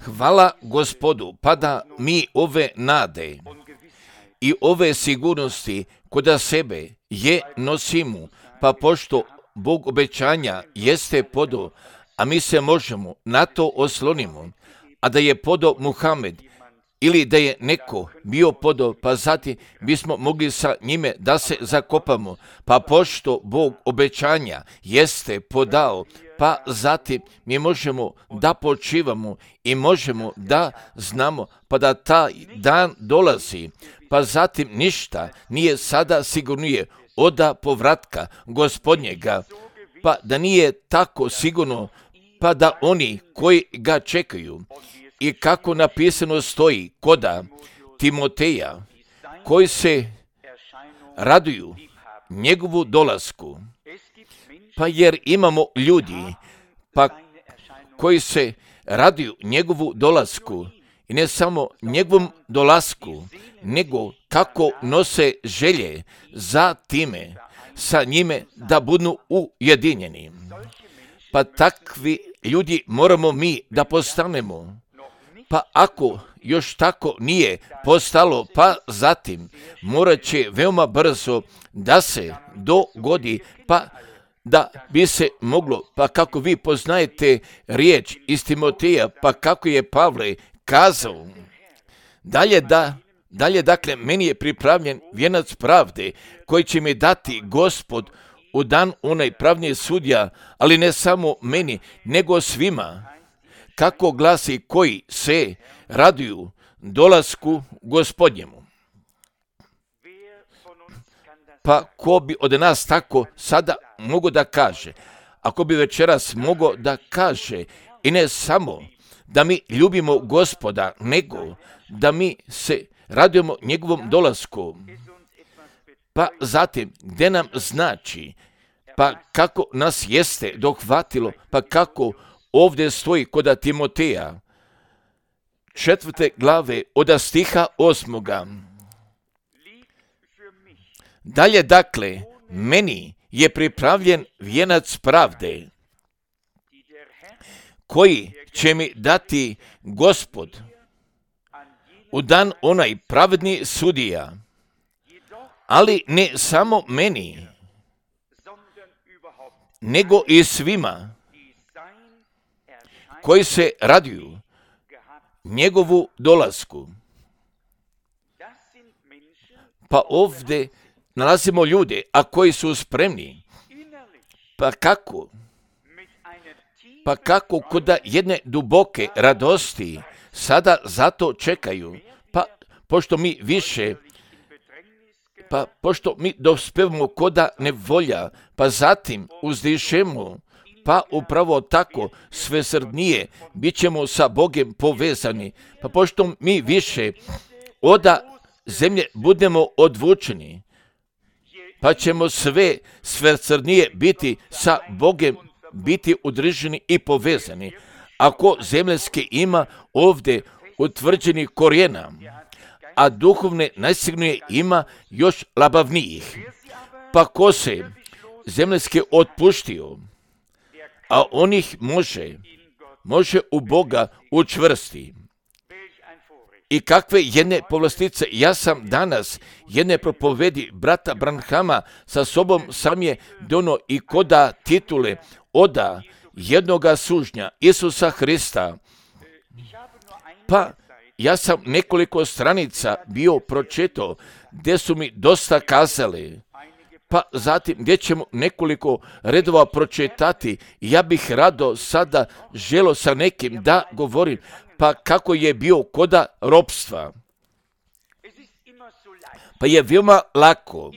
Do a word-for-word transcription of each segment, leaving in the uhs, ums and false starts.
Hvala Gospodu, pa da mi ove nade i ove sigurnosti kod sebe je nosimo, pa pošto Bog obećanja jeste podo, a mi se možemo na to oslonimo, a da je podo Muhamed ili da je neko bio podo, pa zatim bismo mogli sa njime da se zakopamo, pa pošto Bog obećanja jeste podao, pa zatim mi možemo da počivamo i možemo da znamo, pa da taj dan dolazi, pa zatim ništa nije sada sigurnije oda povratka Gospodnjega, pa da nije tako sigurno, pa da oni koji ga čekaju, i kako napisano stoji koda Timoteja, koji se raduju njegovu dolasku, pa jer imamo ljudi pa koji se raduju njegovu dolasku i ne samo njegovom dolasku, nego kako nose želje za time, sa njime da budu ujedinjeni. Pa takvi ljudi moramo mi da postanemo. Pa ako još tako nije postalo, pa zatim morat će veoma brzo da se dogodi, pa da bi se moglo, pa kako vi poznajete riječ iz Timoteja, pa kako je Pavle kazao, dalje da, dalje dakle, meni je pripravljen vijenac pravde koji će mi dati Gospod u dan onaj pravnji sudija, ali ne samo meni, nego svima, kako glasi koji se raduju dolasku Gospodnjemu. Pa ko bi od nas tako sada mogo da kaže, ako bi večeras mogo da kaže, i ne samo da mi ljubimo Gospoda, nego da mi se radujemo njegovom dolasku, pa zatim gdje nam znači, pa kako nas jeste dohvatilo, pa kako ovdje stoji kod Timoteja, četvrte glave od stiha osmoga. Dalje dakle, meni je pripravljen vijenac pravde, koji će mi dati Gospod u dan onaj pravedni sudija, ali ne samo meni, nego i svima koji se raduju njegovu dolasku. Pa ovdje nalazimo ljude, a koji su spremni. Pa kako? Pa kako kod jedne duboke radosti sada zato čekaju? Pa pošto mi više, pa pošto mi dospevamo koda nevolja, pa zatim uzdišemo, pa upravo tako svesrdnije bit ćemo sa Bogem povezani. Pa pošto mi više oda zemlje budemo odvučeni, pa ćemo sve svesrdnije biti sa Bogem, biti udruženi i povezani. Ako zemljanske ima ovdje utvrđeni korijena, a duhovne najsigurnije ima još labavnijih. Pa ko se zemljanske otpuštio, a on ih može, može u Boga učvrsti. I kakve jedne povlastice, ja sam danas jedne propovedi brata Branhama sa sobom sam je dono i koda titule oda jednoga sužnja Isusa Hrista. Pa ja sam nekoliko stranica bio pročitao gdje su mi dosta kazali, pa zatim gdje ćemo nekoliko redova pročitati. Ja bih rado sada želo sa nekim da govorim, pa kako je bio koda ropstva. Pa je veoma lako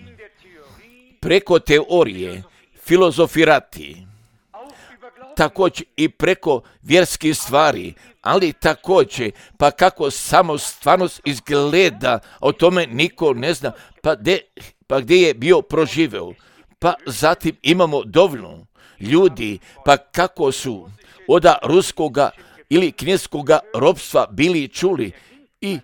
preko teorije filozofirati, također i preko vjerskih stvari, ali također, pa kako samo stvarnost izgleda, o tome niko ne zna, pa gdje, pa gdje je bio proživeo. Pa zatim imamo dovoljno ljudi, pa kako su oda ruskoga ili kineskoga ropstva bili čuli, i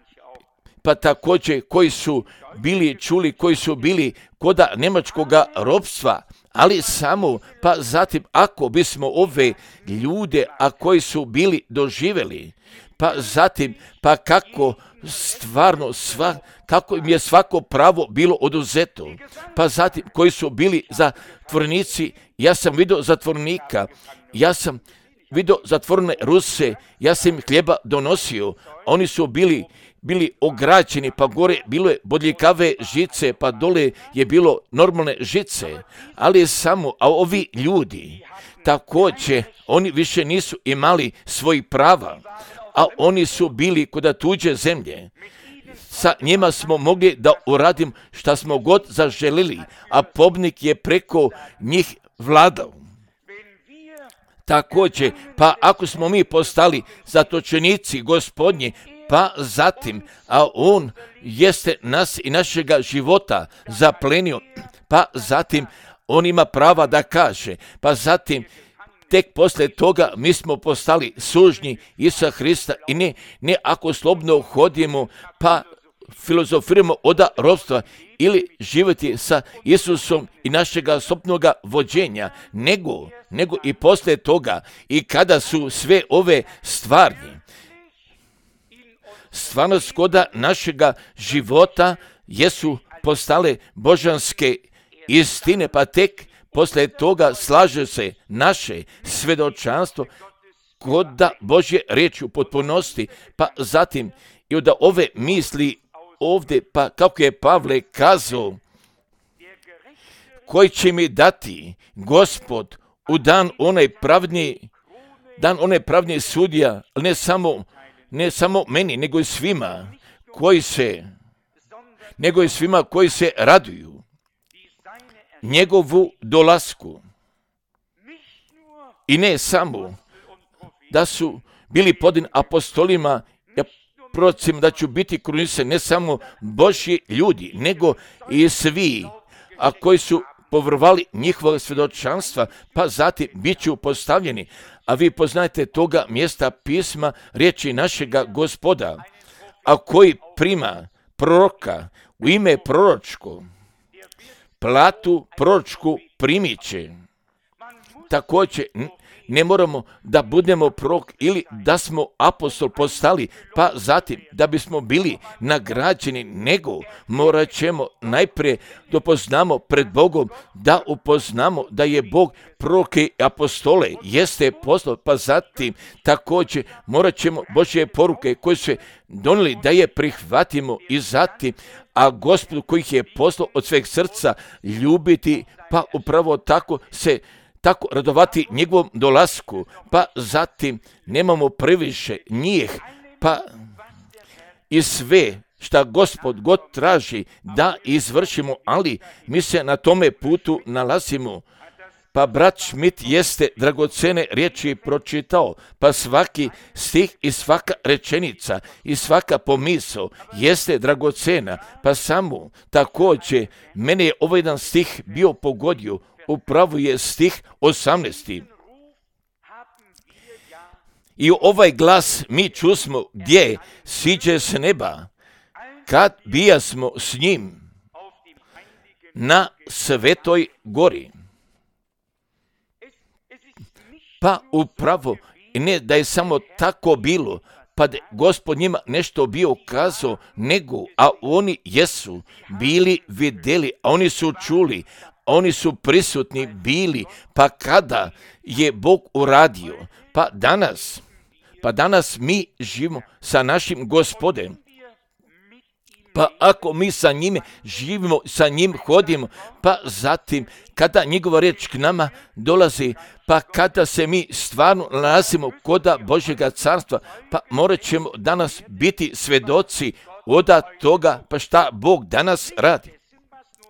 pa također koji su bili čuli, koji su bili koda njemačkoga ropstva, ali samo, pa zatim ako bismo ove ljude, a koji su bili doživjeli, pa zatim, pa kako stvarno sva, kako im je svako pravo bilo oduzeto, pa zatim koji su bili zatvornici, ja sam vidio zatvornika, ja sam vidio zatvorene Ruse, ja sam im hljeba donosio, oni su bili bili ograđeni, pa gore bilo je bodljikave žice, pa dole je bilo normalne žice, ali samo, a ovi ljudi, također, oni više nisu imali svojih prava, a oni su bili kod tuđe zemlje. Sa njima smo mogli da uradim šta smo god zaželili, a pobnik je preko njih vladao. Također, pa ako smo mi postali zatočenici Gospodnji, pa zatim, a on jeste nas i našega života zaplenio, pa zatim on ima prava da kaže, pa zatim tek poslije toga mi smo postali sužnji Isusa Hrista i ne, ne ako slobodno hodimo, pa filozofiramo od ropstva ili živjeti sa Isusom i našega slobodnoga vođenja, nego, nego i poslije toga i kada su sve ove stvari stvarnost koda našega života jesu postale božanske istine, pa tek poslije toga slaže se naše svjedočanstvo koda Božje riječi u potpunosti, pa zatim i od ove misli ovdje, pa kako je Pavle kazao, koji će mi dati Gospod u dan onaj pravdnji, dan onaj pravdnji sudija, ne samo ne samo meni, nego i svima koji se, nego i svima koji se raduju njegovu dolasku. I ne samo da su bili pod apostolima, ja procim da ću biti krunisani ne samo Božji ljudi, nego i svi, a koji su povrvali njihova svjedočanstva, pa zatim bit ću postavljeni. A vi poznajete toga mjesta pisma riječi našega Gospoda, a koji prima proroka u ime proročko, platu proročku primit će. Također ne moramo da budemo prorok ili da smo apostol postali, pa zatim da bismo bili nagrađeni, nego morat ćemo najprije da upoznamo pred Bogom, da upoznamo da je Bog proroke i apostole jeste poslao, pa zatim također morat ćemo Božje poruke koje su donijeli da je prihvatimo i zatim, a Gospodu koji ih je poslao od sveg srca ljubiti, pa upravo tako se tako radovati njegovom dolasku, pa zatim nemamo previše njih, pa i sve šta Gospod god traži da izvršimo, ali mi se na tome putu nalazimo. Pa brat Schmidt jeste dragocene riječi pročitao, pa svaki stih i svaka rečenica i svaka pomisao jeste dragocena, pa samo također mene je ovaj jedan stih bio pogodio, upravo je stih osamnaesti. I ovaj glas mi čusmo gdje siđe s neba, kad bijasmo s njim na svetoj gori. Pa upravo, ne da je samo tako bilo, pa da Gospod njima nešto bio kazao, nego, a oni jesu bili vidjeli, a oni su čuli, oni su prisutni bili, pa kada je Bog uradio, pa danas, pa danas mi živimo sa našim Gospodem. Pa ako mi sa njime živimo, sa njim hodimo, pa zatim kada njegova riječ k nama dolazi, pa kada se mi stvarno nalazimo koda Božjega carstva, pa morat ćemo danas biti svedoci od toga, pa šta Bog danas radi.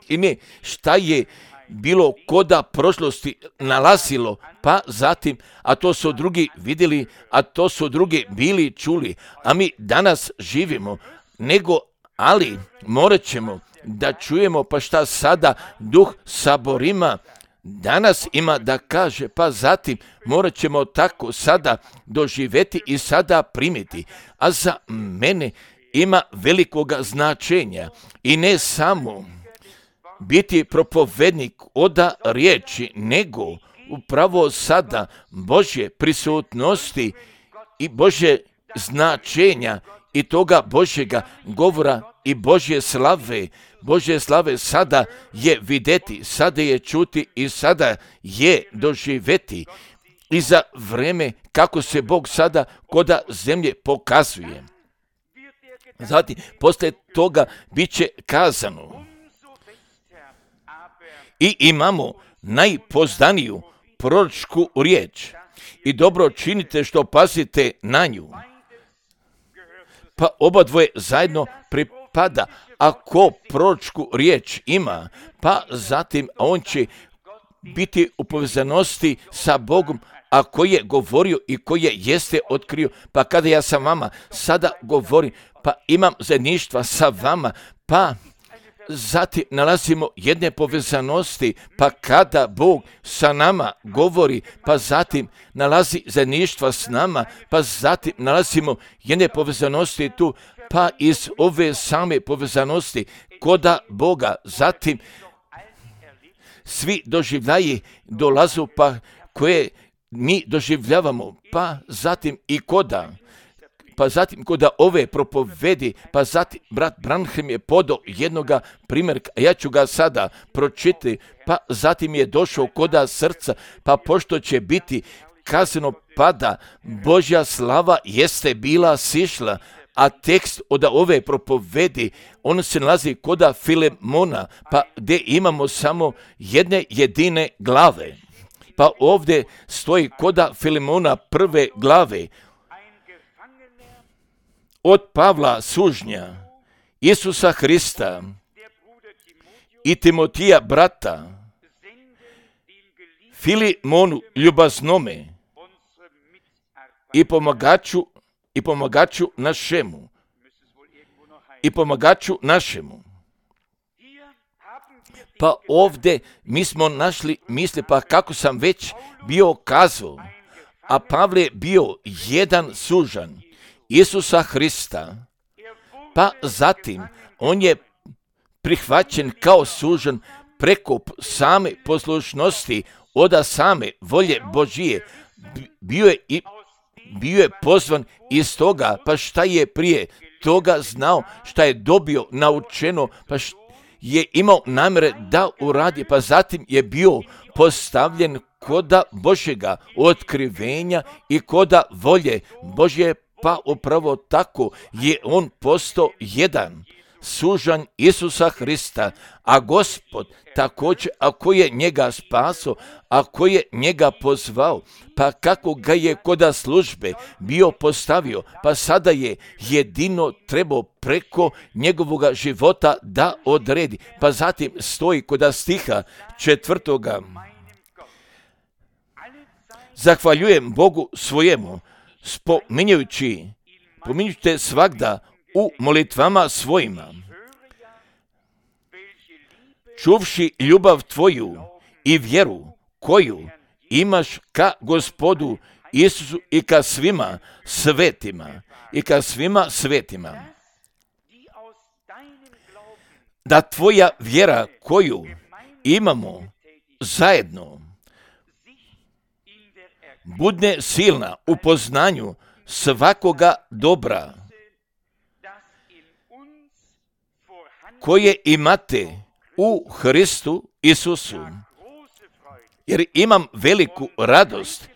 I ne, šta je bilo koda prošlosti nalazilo, pa zatim, a to su drugi vidjeli, a to su drugi bili čuli, a mi danas živimo, nego, ali morat ćemo da čujemo pa šta sada Duh saborima danas ima da kaže, pa zatim morat ćemo tako sada doživjeti i sada primiti. A za mene ima velikoga značenja i ne samo biti propovednik oda riječi, nego upravo sada Božje prisutnosti i Božje značenja i toga Božjega govora i Božje slave. Božje slave sada je videti, sada je čuti i sada je doživeti. I za vreme kako se Bog sada koda zemlje pokazuje. Zatim, poslije toga bit će kazano. I imamo najpozdaniju proročku riječ. I dobro činite što pazite na nju. Pa oba dvoje zajedno pripada. Ako proročku riječ ima, pa zatim on će biti u povezanosti sa Bogom, a koji je govorio i koji je jeste otkrio. Pa kada ja sa vama sada govorim, pa imam zajedništva sa vama, pa zatim nalazimo jedne povezanosti, pa kada Bog sa nama govori, pa zatim nalazi zajedništva s nama, pa zatim nalazimo jedne povezanosti tu, pa iz ove same povezanosti koda Boga, zatim svi doživljaji dolazu, pa koje mi doživljavamo, pa zatim i koda, pa zatim koda ove propovedi, pa zatim brat Branham je podao jednoga primjerka, a ja ću ga sada pročitati, pa zatim je došao koda srca, pa pošto će biti kazano pada, Božja slava jeste bila sišla, a tekst od ove propovedi, on se nalazi koda Filemona, pa gdje imamo samo jedne jedine glave. Pa ovdje stoji koda Filemona prve glave. Od Pavla sužnja, Isusa Hrista i Timotija brata, Filemonu ljubaznome i pomagaču i pomagaču našemu i pomagaču našemu. Pa ovdje mi smo našli misli, pa kako sam već bio kazao, a Pavle je bio jedan sužan Isusa Hrista, pa zatim on je prihvaćen kao sužan preko same poslušnosti oda same volje Božije. Bio je i bio je pozvan iz toga, pa šta je prije toga znao, šta je dobio naučeno, pa šta je imao namjere da uradi, pa zatim je bio postavljen koda Božjega otkrivenja i koda volje Božje, pa upravo tako je on postao jedan sužanj Isusa Hrista, a Gospod također, ako je njega spaso, ako je njega pozvao, pa kako ga je koda službe bio postavio, pa sada je jedino trebao preko njegovoga života da odredi. Pa zatim stoji koda stiha četvrtoga. Zahvaljujem Bogu svojemu, spominjujući, pominjujte svagda u molitvama svojima, čuvši ljubav tvoju i vjeru koju imaš ka Gospodu Isusu i ka svima svetima, i ka svima svetima. Da tvoja vjera koju imamo zajedno budne silna u poznanju svakoga dobra koje imate u Hristu Isusu, jer imam veliku radost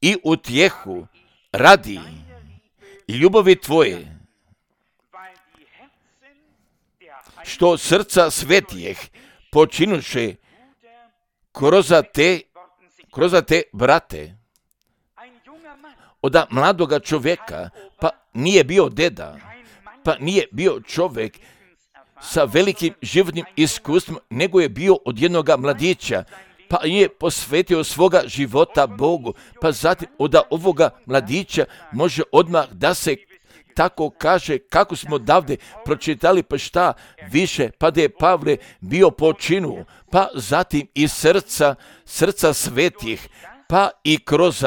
i utjehu radi ljubavi tvoje, što srca svetijeh počinuše kroz te, kroz te brate. Oda mladoga čovjeka, pa nije bio deda, pa nije bio čovjek sa velikim životnim iskustvom, nego je bio od jednoga mladića, pa je posvetio svoga života Bogu, pa zatim od ovoga mladića može odmah da se tako kaže, kako smo davde pročitali, pa šta više, pa da je Pavle bio po činu, pa zatim i srca, srca svetih, pa i kroz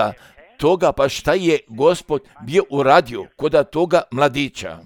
toga, pa šta je Gospod bio uradio kod toga mladića.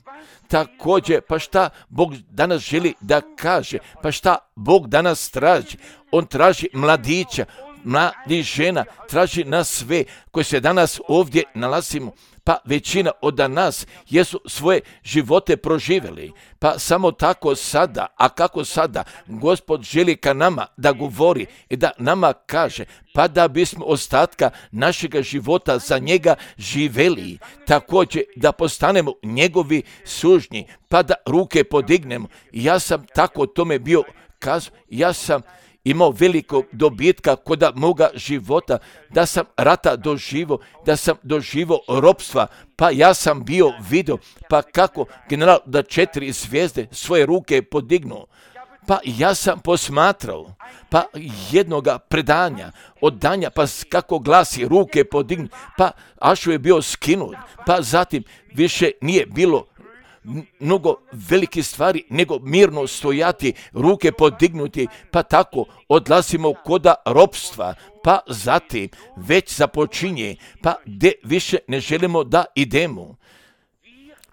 Također, pa šta Bog danas želi da kaže, pa šta Bog danas traži. On traži mladića, mladi žena, traži nas sve koji se danas ovdje nalazimo. Pa većina od nas jesu svoje živote proživjeli. Pa samo tako sada, a kako sada, Gospod želi ka nama da govori i da nama kaže, pa da bismo ostatka našega života za njega živeli. Također da postanemo njegovi sužnji, pa da ruke podignemo. Ja sam tako tome bio kazao, ja sam imao velikog dobitka kod moga života, da sam rata doživo, da sam doživo ropstva, pa ja sam bio vidio, pa kako general da četiri zvijezde svoje ruke podignuo. Pa ja sam posmatrao, pa jednoga predanja, oddanja, pa kako glasi ruke podignu, pa Ašu je bio skinut, pa zatim više nije bilo mnogo velike stvari, nego mirno stojati, ruke podignuti, pa tako odlazimo koda ropstva, pa zatim već započinje, pa gdje više ne želimo da idemo.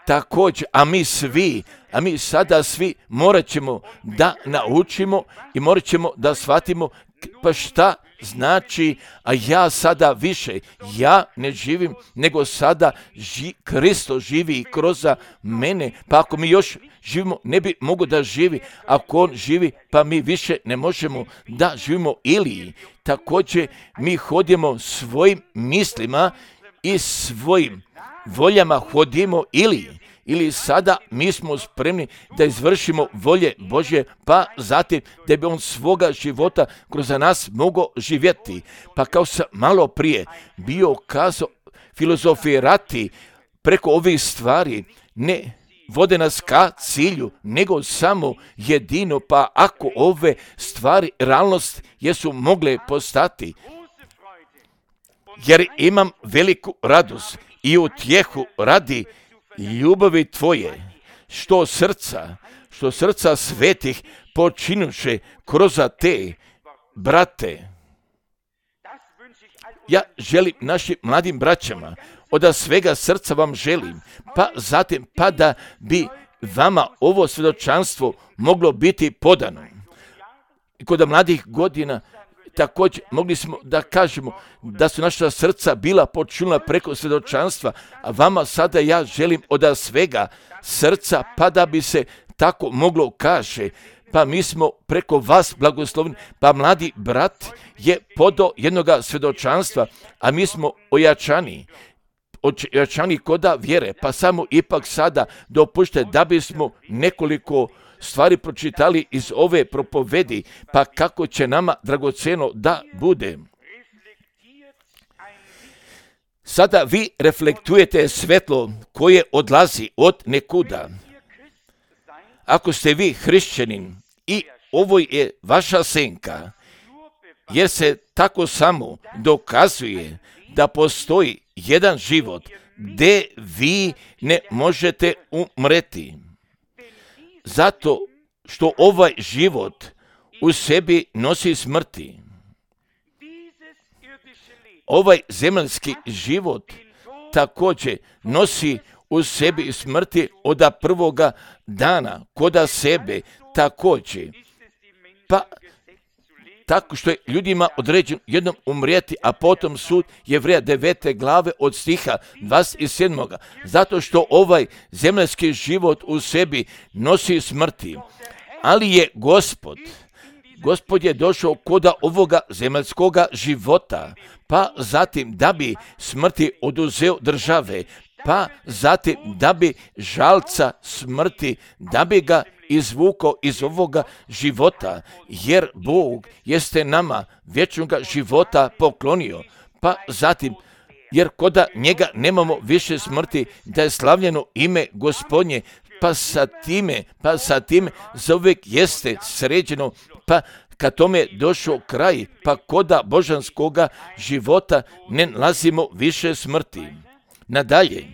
Također, a mi svi, a mi sada svi morat ćemo da naučimo i morat ćemo da shvatimo pa šta znači, a ja sada više, ja ne živim, nego sada ži, Kristo živi kroz mene, pa ako mi još živimo, ne bi mogo da živi, ako on živi, pa mi više ne možemo da živimo ili također mi hodimo svojim mislima i svojim voljama hodimo ili ili sada mi smo spremni da izvršimo volje Božje, pa zatim da bi on svoga života kroz nas mogao živjeti. Pa kao sam malo prije bio kazao, filozofirati preko ovih stvari ne vode nas ka cilju, nego samo jedino, pa ako ove stvari realnost jesu mogle postati. Jer imam veliku radost i utjehu radi ljubavi tvoje, što srca, što srca svetih počinuše kroz te, brate. Ja želim našim mladim braćama, od svega srca vam želim, pa zatim pa da bi vama ovo svjedočanstvo moglo biti podano. I kod mladih godina također mogli smo da kažemo da su naša srca bila počinula preko svjedočanstva, a vama sada ja želim od svega srca, pa da bi se tako moglo kaže, pa mi smo preko vas blagoslovni, pa mladi brat je podao jednoga svjedočanstva, a mi smo ojačani, ojačani koda vjere, pa samo ipak sada dopušte da bismo nekoliko stvari pročitali iz ove propovedi, pa kako će nama dragoceno da bude. Sada vi reflektujete svetlo koje odlazi od nekuda. Ako ste vi hrišćanin i ovo je vaša senka, jer se tako samo dokazuje da postoji jedan život gdje vi ne možete umreti. Zato što ovaj život u sebi nosi smrti. Ovaj zemaljski život također nosi u sebi smrti od prvoga dana, koda sebe također. Pa tako što je ljudima određeno jednom umrijeti, a potom sud Jevreja devete glave od stiha dvadeset sedmog. Zato što ovaj zemaljski život u sebi nosi smrti. Ali je Gospod, Gospod je došao koda ovoga zemaljskoga života, pa zatim da bi smrti oduzeo države, pa zatim da bi žalca smrti, da bi ga izvukao iz ovoga života, jer Bog jeste nama vječnoga života poklonio, pa zatim jer koda njega nemamo više smrti, da je slavljeno ime Gospodnje, pa sa time, pa sa time zauvijek jeste sređeno, pa kad tome došao kraj, pa koda božanskoga života ne nalazimo više smrti. Nadalje,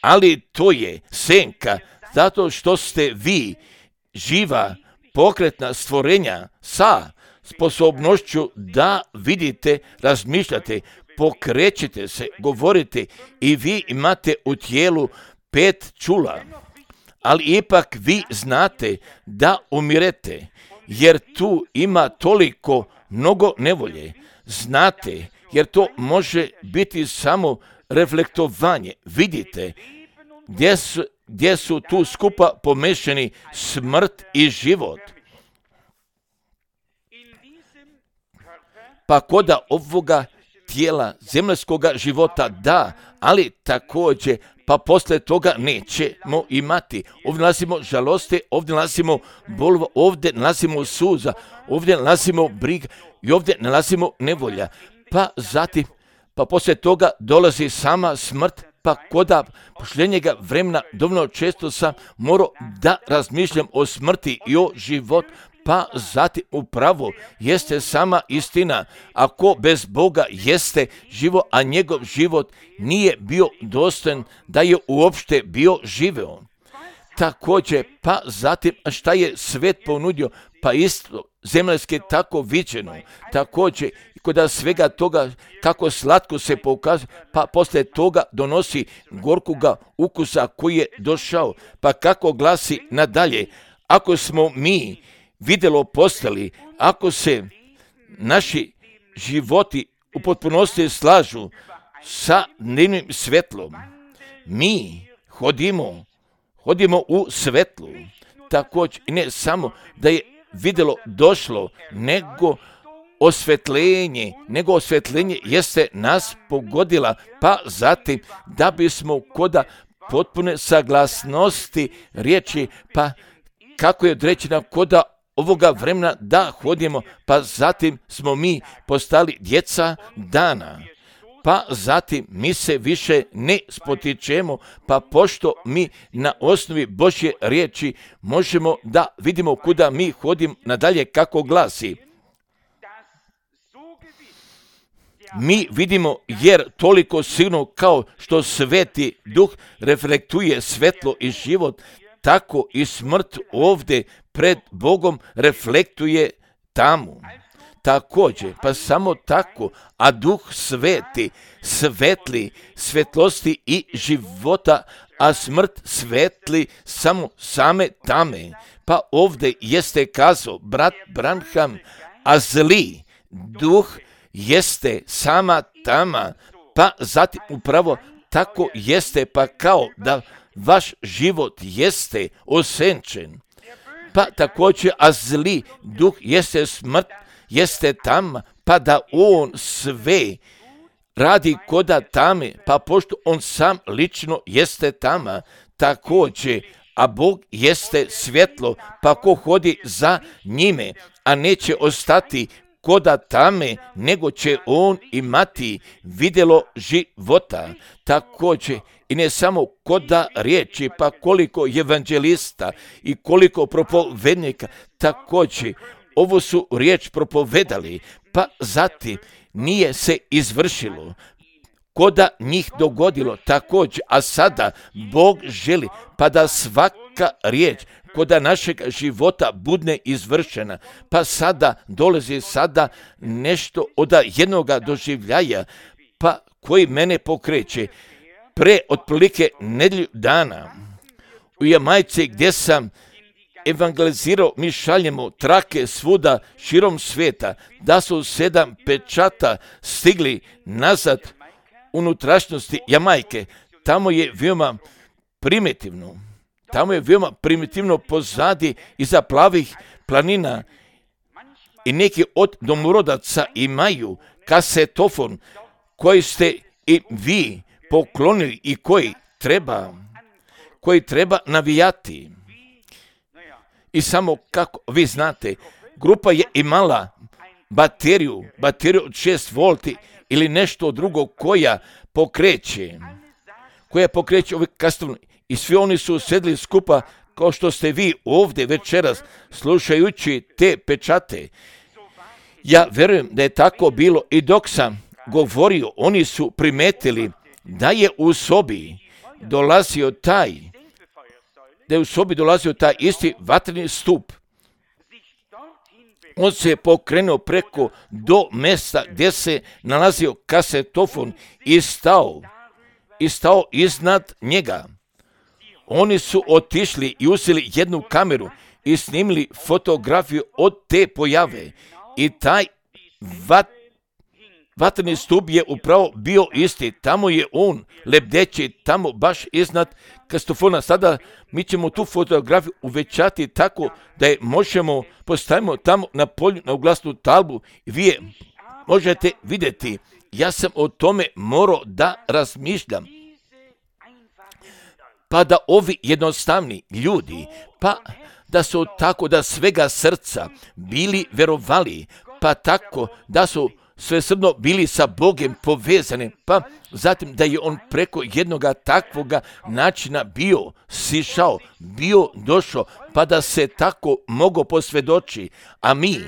ali to je senka, zato što ste vi živa, pokretna stvorenja sa sposobnošću da vidite, razmišljate pokrećete se, govorite i vi imate u tijelu pet čula, ali ipak vi znate da umirete, jer tu ima toliko mnogo nevolje. Znate, jer to može biti samo reflektovanje. Vidite gdje su, gdje su tu skupa pomešani smrt i život. Pa koda ovoga tijela zemaljskoga života da, ali također pa poslije toga nećemo imati. Ovdje nalazimo žalosti, ovdje nalazimo bolova, ovdje nalazimo suza, ovdje nalazimo briga i ovdje nalazimo nevolja. Pa zatim, pa poslije toga dolazi sama smrt, pa koda posljednjega vremena dovoljno često sam morao da razmišljam o smrti i o životu. Pa zatim upravo jeste sama istina. Ako bez Boga jeste živo, a njegov život nije bio dostojan da je uopšte bio živeo. Također, pa zatim šta je svet ponudio, pa isto zemaljske tako viđeno. Također, kod svega toga kako slatko se pokazuje, pa poslije toga donosi gorkoga ukusa koji je došao. Pa kako glasi nadalje, ako smo mi vidjelo postali, ako se naši životi u potpunosti slažu sa dnevnim svetlom, mi hodimo, hodimo u svetlu. Također, ne samo da je vidjelo došlo, nego osvetljenje, nego osvetljenje jeste nas pogodila, pa zatim da bismo koda potpune saglasnosti riječi, pa kako je određena koda ovoga vremena da hodimo, pa zatim smo mi postali djeca dana. Pa zatim mi se više ne spotičemo, pa pošto mi na osnovi Božje riječi možemo da vidimo kuda mi hodimo nadalje kako glasi. Mi vidimo jer toliko silno kao što sveti duh reflektuje svetlo i život, tako i smrt ovdje pred Bogom reflektuje tamo. Također, pa samo tako, a duh sveti, svetli, svetlosti i života, a smrt svetli samo same tame. Pa ovdje jeste kazao brat Branham, a zli duh jeste sama tama, pa zatim upravo tako jeste, pa kao da vaš život jeste osenčen. Pa također, a zli duh jeste smrt, jeste tama, pa da on sve radi koda tame, pa pošto on sam lično jeste tama, također, a Bog jeste svjetlo, pa ko hodi za njime, a neće ostati koda tame, nego će on imati vidjelo života. Također, i ne samo koda riječi, pa koliko evanđelista i koliko propovednika, također, ovo su riječ propovedali, pa zatim nije se izvršilo. Koda njih dogodilo također, a sada Bog želi pa da svaka riječ koda našeg života budne izvršena, pa sada dolazi sada nešto od jednoga doživljaja, pa koji mene pokreće. Pre otprilike nedjelju dana u Jamajci gdje sam evangelizirao, mi šaljemo trake svuda širom svijeta, da su sedam pečata stigli nazad unutrašnjosti Jamajke. Tamo je veoma primitivno. Tamo je veoma primitivno pozadi iza plavih planina i neki od domorodaca imaju kasetofon koji ste i vi poklonili i koji treba, koji treba navijati. I samo kako vi znate, grupa je imala bateriju, bateriju od šest volti ili nešto drugo koja pokreće, koja pokreće ove kastovne. I svi oni su sedli skupa kao što ste vi ovdje večeras slušajući te pečate. Ja vjerujem da je tako bilo i dok sam govorio, oni su primetili da je u sobi dolazio taj, da je u sobi dolazio taj isti vatreni stup. On se pokrenuo preko do mesta gdje se nalazio kasetofon i stao, i stao iznad njega. Oni su otišli i uzeli jednu kameru i snimili fotografiju od te pojave. I taj vat, vatreni stup je upravo bio isti. Tamo je on lebdeći, tamo baš iznad kasetofona. Sada mi ćemo tu fotografiju uvećati tako da je možemo postavimo tamo na polju na oglasnu tablu i vi je možete vidjeti. Ja sam o tome morao da razmišljam. Pa da ovi jednostavni ljudi, pa da su tako da svega srca bili verovali, pa tako da su svesrdno bili sa Bogom povezani, pa zatim da je on preko jednoga takvoga načina bio sišao, bio došao, pa da se tako mogo posvjedoči. A mi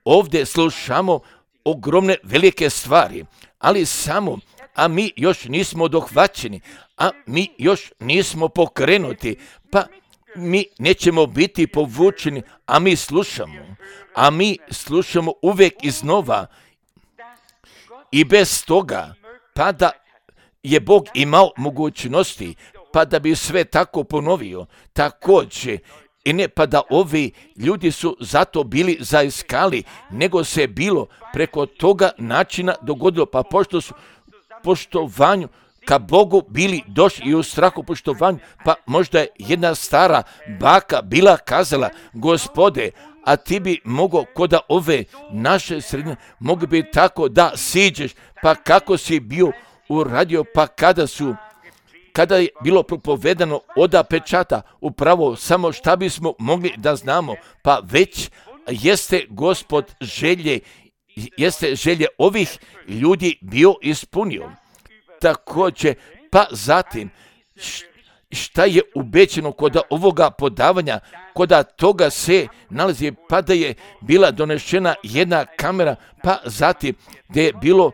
ovdje slušamo ogromne velike stvari, ali samo, a mi još nismo dohvaćeni, a mi još nismo pokrenuti, pa mi nećemo biti povučeni, a mi slušamo, a mi slušamo uvijek iznova i bez toga, pa da je Bog imao mogućnosti, pa da bi sve tako ponovio, također, i ne pa da ovi ljudi su zato bili zaiskali, nego se bilo preko toga načina dogodilo, pa pošto su poštovanju ka Bogu bili došli i u strahu poštovanju, pa možda je jedna stara baka bila kazala, Gospode, a ti bi mogao kod ove naše sredine, mogu bi tako da siđeš, pa kako si bio uradio, pa kada su, kada je bilo propovedano oda pečata, upravo samo šta bismo mogli da znamo, pa već jeste Gospod želje, jeste želje ovih ljudi bio ispunio. Također, pa zatim, šta je ubećeno kod ovoga podavanja, kod toga se nalazi, pa da je bila donešena jedna kamera, pa zatim gdje je bilo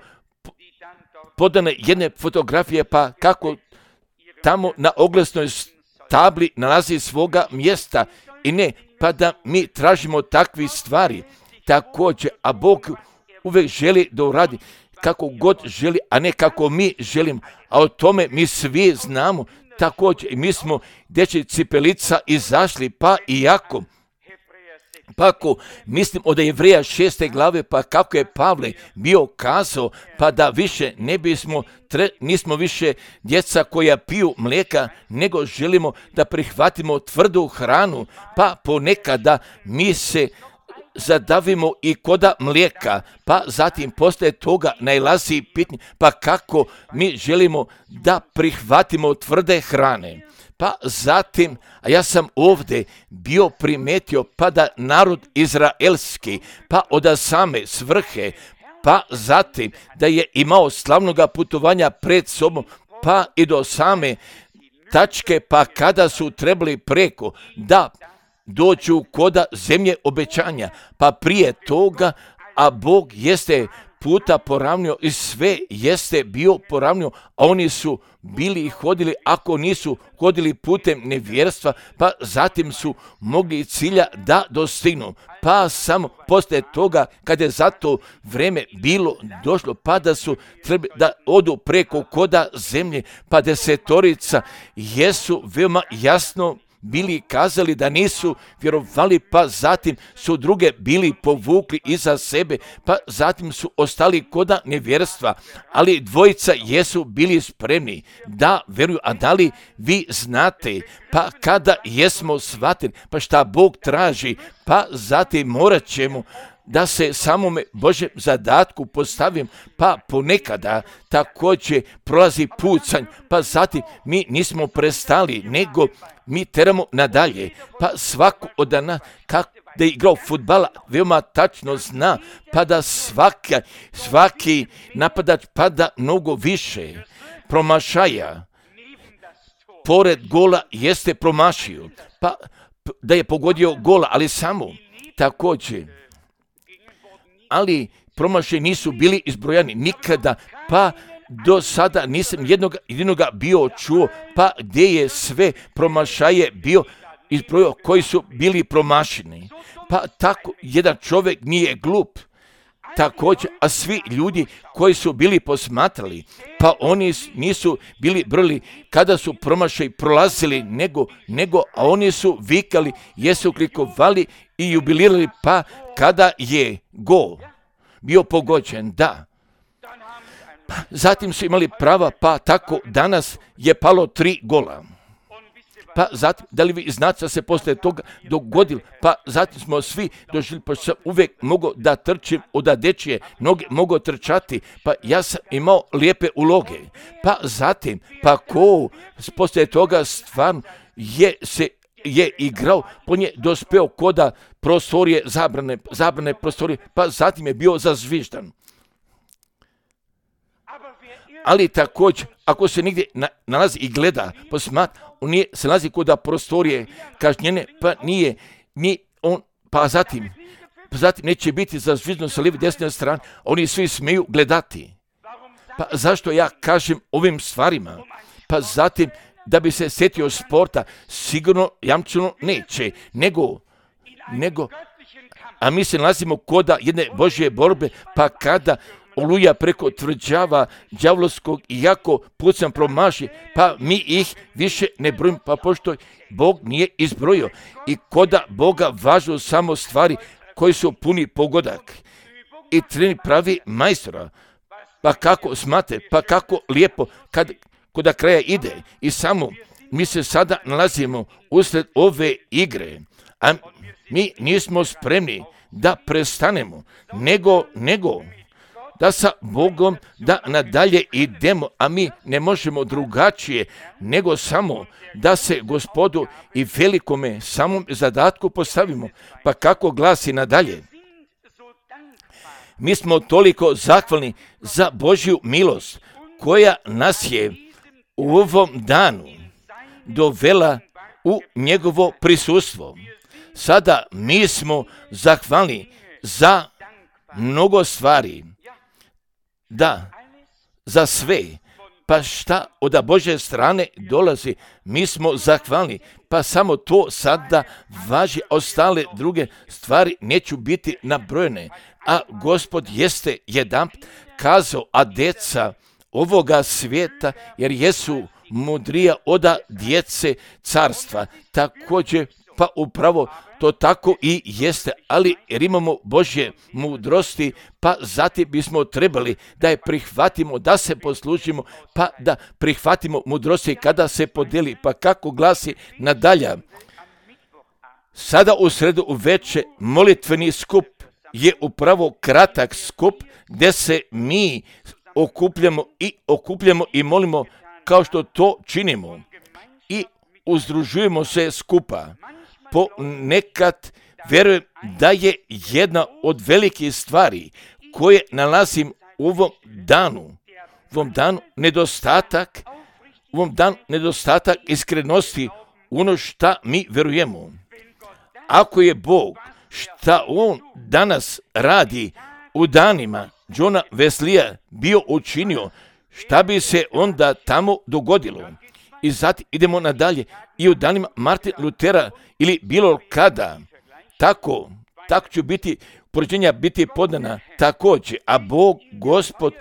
podane jedne fotografije, pa kako tamo na oglasnoj tabli nalazi svoga mjesta i ne, pa da mi tražimo takve stvari. Također, a Bog uvijek želi da uradi kako god želi, a ne kako mi želim, a o tome mi svi znamo. Također, mi smo dječji cipelica izašli, pa i jako. Pa ako mislim od Jevreja šeste glave, pa kako je Pavle bio kazao, pa da više ne bismo, tre, nismo više djeca koja piju mlijeka, nego želimo da prihvatimo tvrdu hranu, pa ponekada mi se zadavimo i koda mlijeka, pa zatim poslije toga najlazi pitanje, pa kako mi želimo da prihvatimo tvrde hrane. Pa zatim, a ja sam ovdje bio primetio, pa da narod izraelski, pa od same svrhe, pa zatim da je imao slavnoga putovanja pred sobom, pa i do same tačke, pa kada su trebali preko da dođu koda zemlje obećanja, pa prije toga, a Bog jeste puta poravnio i sve jeste bio poravnio, a oni su bili i hodili, ako nisu hodili putem nevjerstva, pa zatim su mogli cilja da dostignu. Pa samo poslije toga, kada je za to vreme bilo došlo, pa da su trebali da odu preko koda zemlje, pa desetorica jesu veoma jasno bili kazali da nisu vjerovali, pa zatim su druge bili povukli iza sebe, pa zatim su ostali koda nevjerstva, ali dvojica jesu bili spremni da vjeruju. A da li vi znate, pa kada jesmo shvatili, pa šta Bog traži, pa zatim morat ćemo da se samome Božem zadatku postavim, pa ponekada također prolazi pucanj, pa zatim mi nismo prestali, nego mi teramo nadalje, pa svako od nas kako da je igrao fudbala veoma tačno zna, pa da svaki, svaki napadač pada mnogo više promašaja pored gola jeste promašio, pa da je pogodio gola, ali samo također, ali promašaji nisu bili izbrojani nikada, pa do sada nisam jednog jedinoga bio čuo, pa gdje je sve promašaje bio, izbrojio koji su bili promašeni. Pa tako jedan čovjek nije glup. Također, a svi ljudi koji su bili posmatrali, pa oni nisu bili brli kada su promašaj prolazili, nego, nego, a oni su vikali, jesu klikovali i jubilirali, pa kada je gol bio pogođen, da. Pa, zatim su imali prava, pa tako danas je palo tri gola. Pa zatim, da li vi znate da se poslije toga dogodilo, pa zatim smo svi doživjeli, pa sam uvijek mogao da trčim od dečije noge, mogao trčati, pa ja sam imao lijepe uloge. Pa zatim, pa ko poslije toga stvarno je se je igrao, po nje dospeo koda prostorije, zabrane, zabrane prostorije, pa zatim je bio zazviždan. Ali također, ako se nigdje na, nalazi i gleda, posmatra, on nije, se nalazi kod prostorije kažnjene, pa nije, nije on, pa zatim, pa zatim neće biti zazviždan sa lijeve desne strane, oni svi smiju gledati. Pa zašto ja kažem ovim stvarima? Pa zatim, da bi se sjetio sporta, sigurno jamčeno neće, nego, nego, a mi se nalazimo koda jedne Božje borbe, pa kada oluja preko tvrđava đavolskog i jako pucam promaši, pa mi ih više ne brojimo, pa pošto Bog nije izbrojio. I koda Boga važu samo stvari koji su puni pogodak. I treni pravi majstora. Pa kako smate, pa kako lijepo kad koda kraja ide. I samo mi se sada nalazimo usred ove igre, a mi nismo spremni da prestanemo, nego, nego, da sa Bogom da nadalje idemo, a mi ne možemo drugačije nego samo da se Gospodu i velikome samom zadatku postavimo. Pa kako glasi nadalje? Mi smo toliko zahvalni za Božju milost koja nas je u ovom danu dovela u njegovo prisustvo. Sada mi smo zahvalni za mnogo stvari. Da, za sve, pa šta od Božje strane dolazi, mi smo zahvalni, pa samo to sada važi, ostale druge stvari neću biti nabrojene. A Gospod jeste jedan kazao, a djeca ovoga svijeta, jer jesu mudrija od djece carstva, također pa upravo to tako i jeste, ali jer imamo Božje mudrosti, pa zatim bismo trebali da je prihvatimo, da se poslužimo, pa da prihvatimo mudrosti kada se podeli, pa kako glasi nadalje. Sada u sredu uveče molitveni skup je upravo kratak skup gdje se mi okupljamo i okupljamo i molimo kao što to činimo i uzdružujemo se skupa. Ponekad vjerujem da je jedna od velikih stvari koje nalazim u ovom danu, u ovom danu nedostatak, u ovom danu nedostatak iskrenosti u ono šta mi vjerujemo. Ako je Bog šta On danas radi u danima Johna Wesleya bio učinio, šta bi se onda tamo dogodilo? I zatim idemo nadalje i u danima Martina Lutera ili bilo kada, tako, tako će biti, poređenja biti podana također, a Bog, Gospod,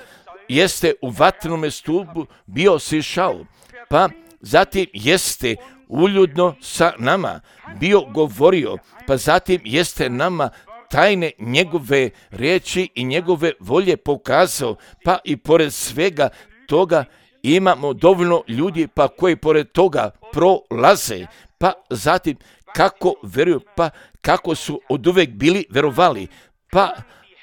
jeste u vatrenome stupu bio sišao, pa zatim jeste uljudno sa nama bio govorio, pa zatim jeste nama tajne njegove riječi i njegove volje pokazao, pa i pored svega toga imamo dovoljno ljudi pa koji pored toga prolaze, pa zatim kako vjeruju, pa kako su oduvijek bili vjerovali, pa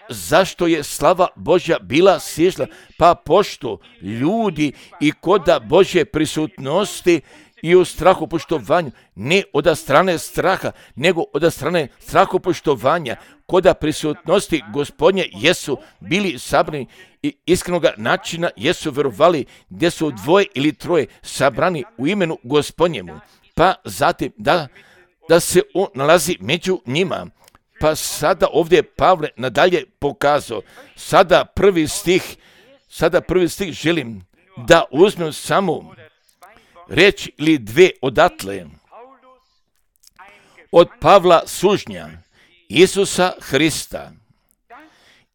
zašto je slava Božja bila sišla, pa pošto ljudi i koda Božje prisutnosti i u strahopoštovanju, ne od strane straha, nego od strane strahopoštovanja, koda prisutnosti Gospodnje jesu bili sabrani i iskrenoga načina jesu vjerovali gdje su dvoje ili troje sabrani u imenu Gospodnjemu, pa zatim da, da se on nalazi među njima. Pa sada ovdje Pavle nadalje pokazao, sada prvi stih, sada prvi stih želim da uzmem samo reći ili dve odatle. od Pavla sužnja Isusa Hrista.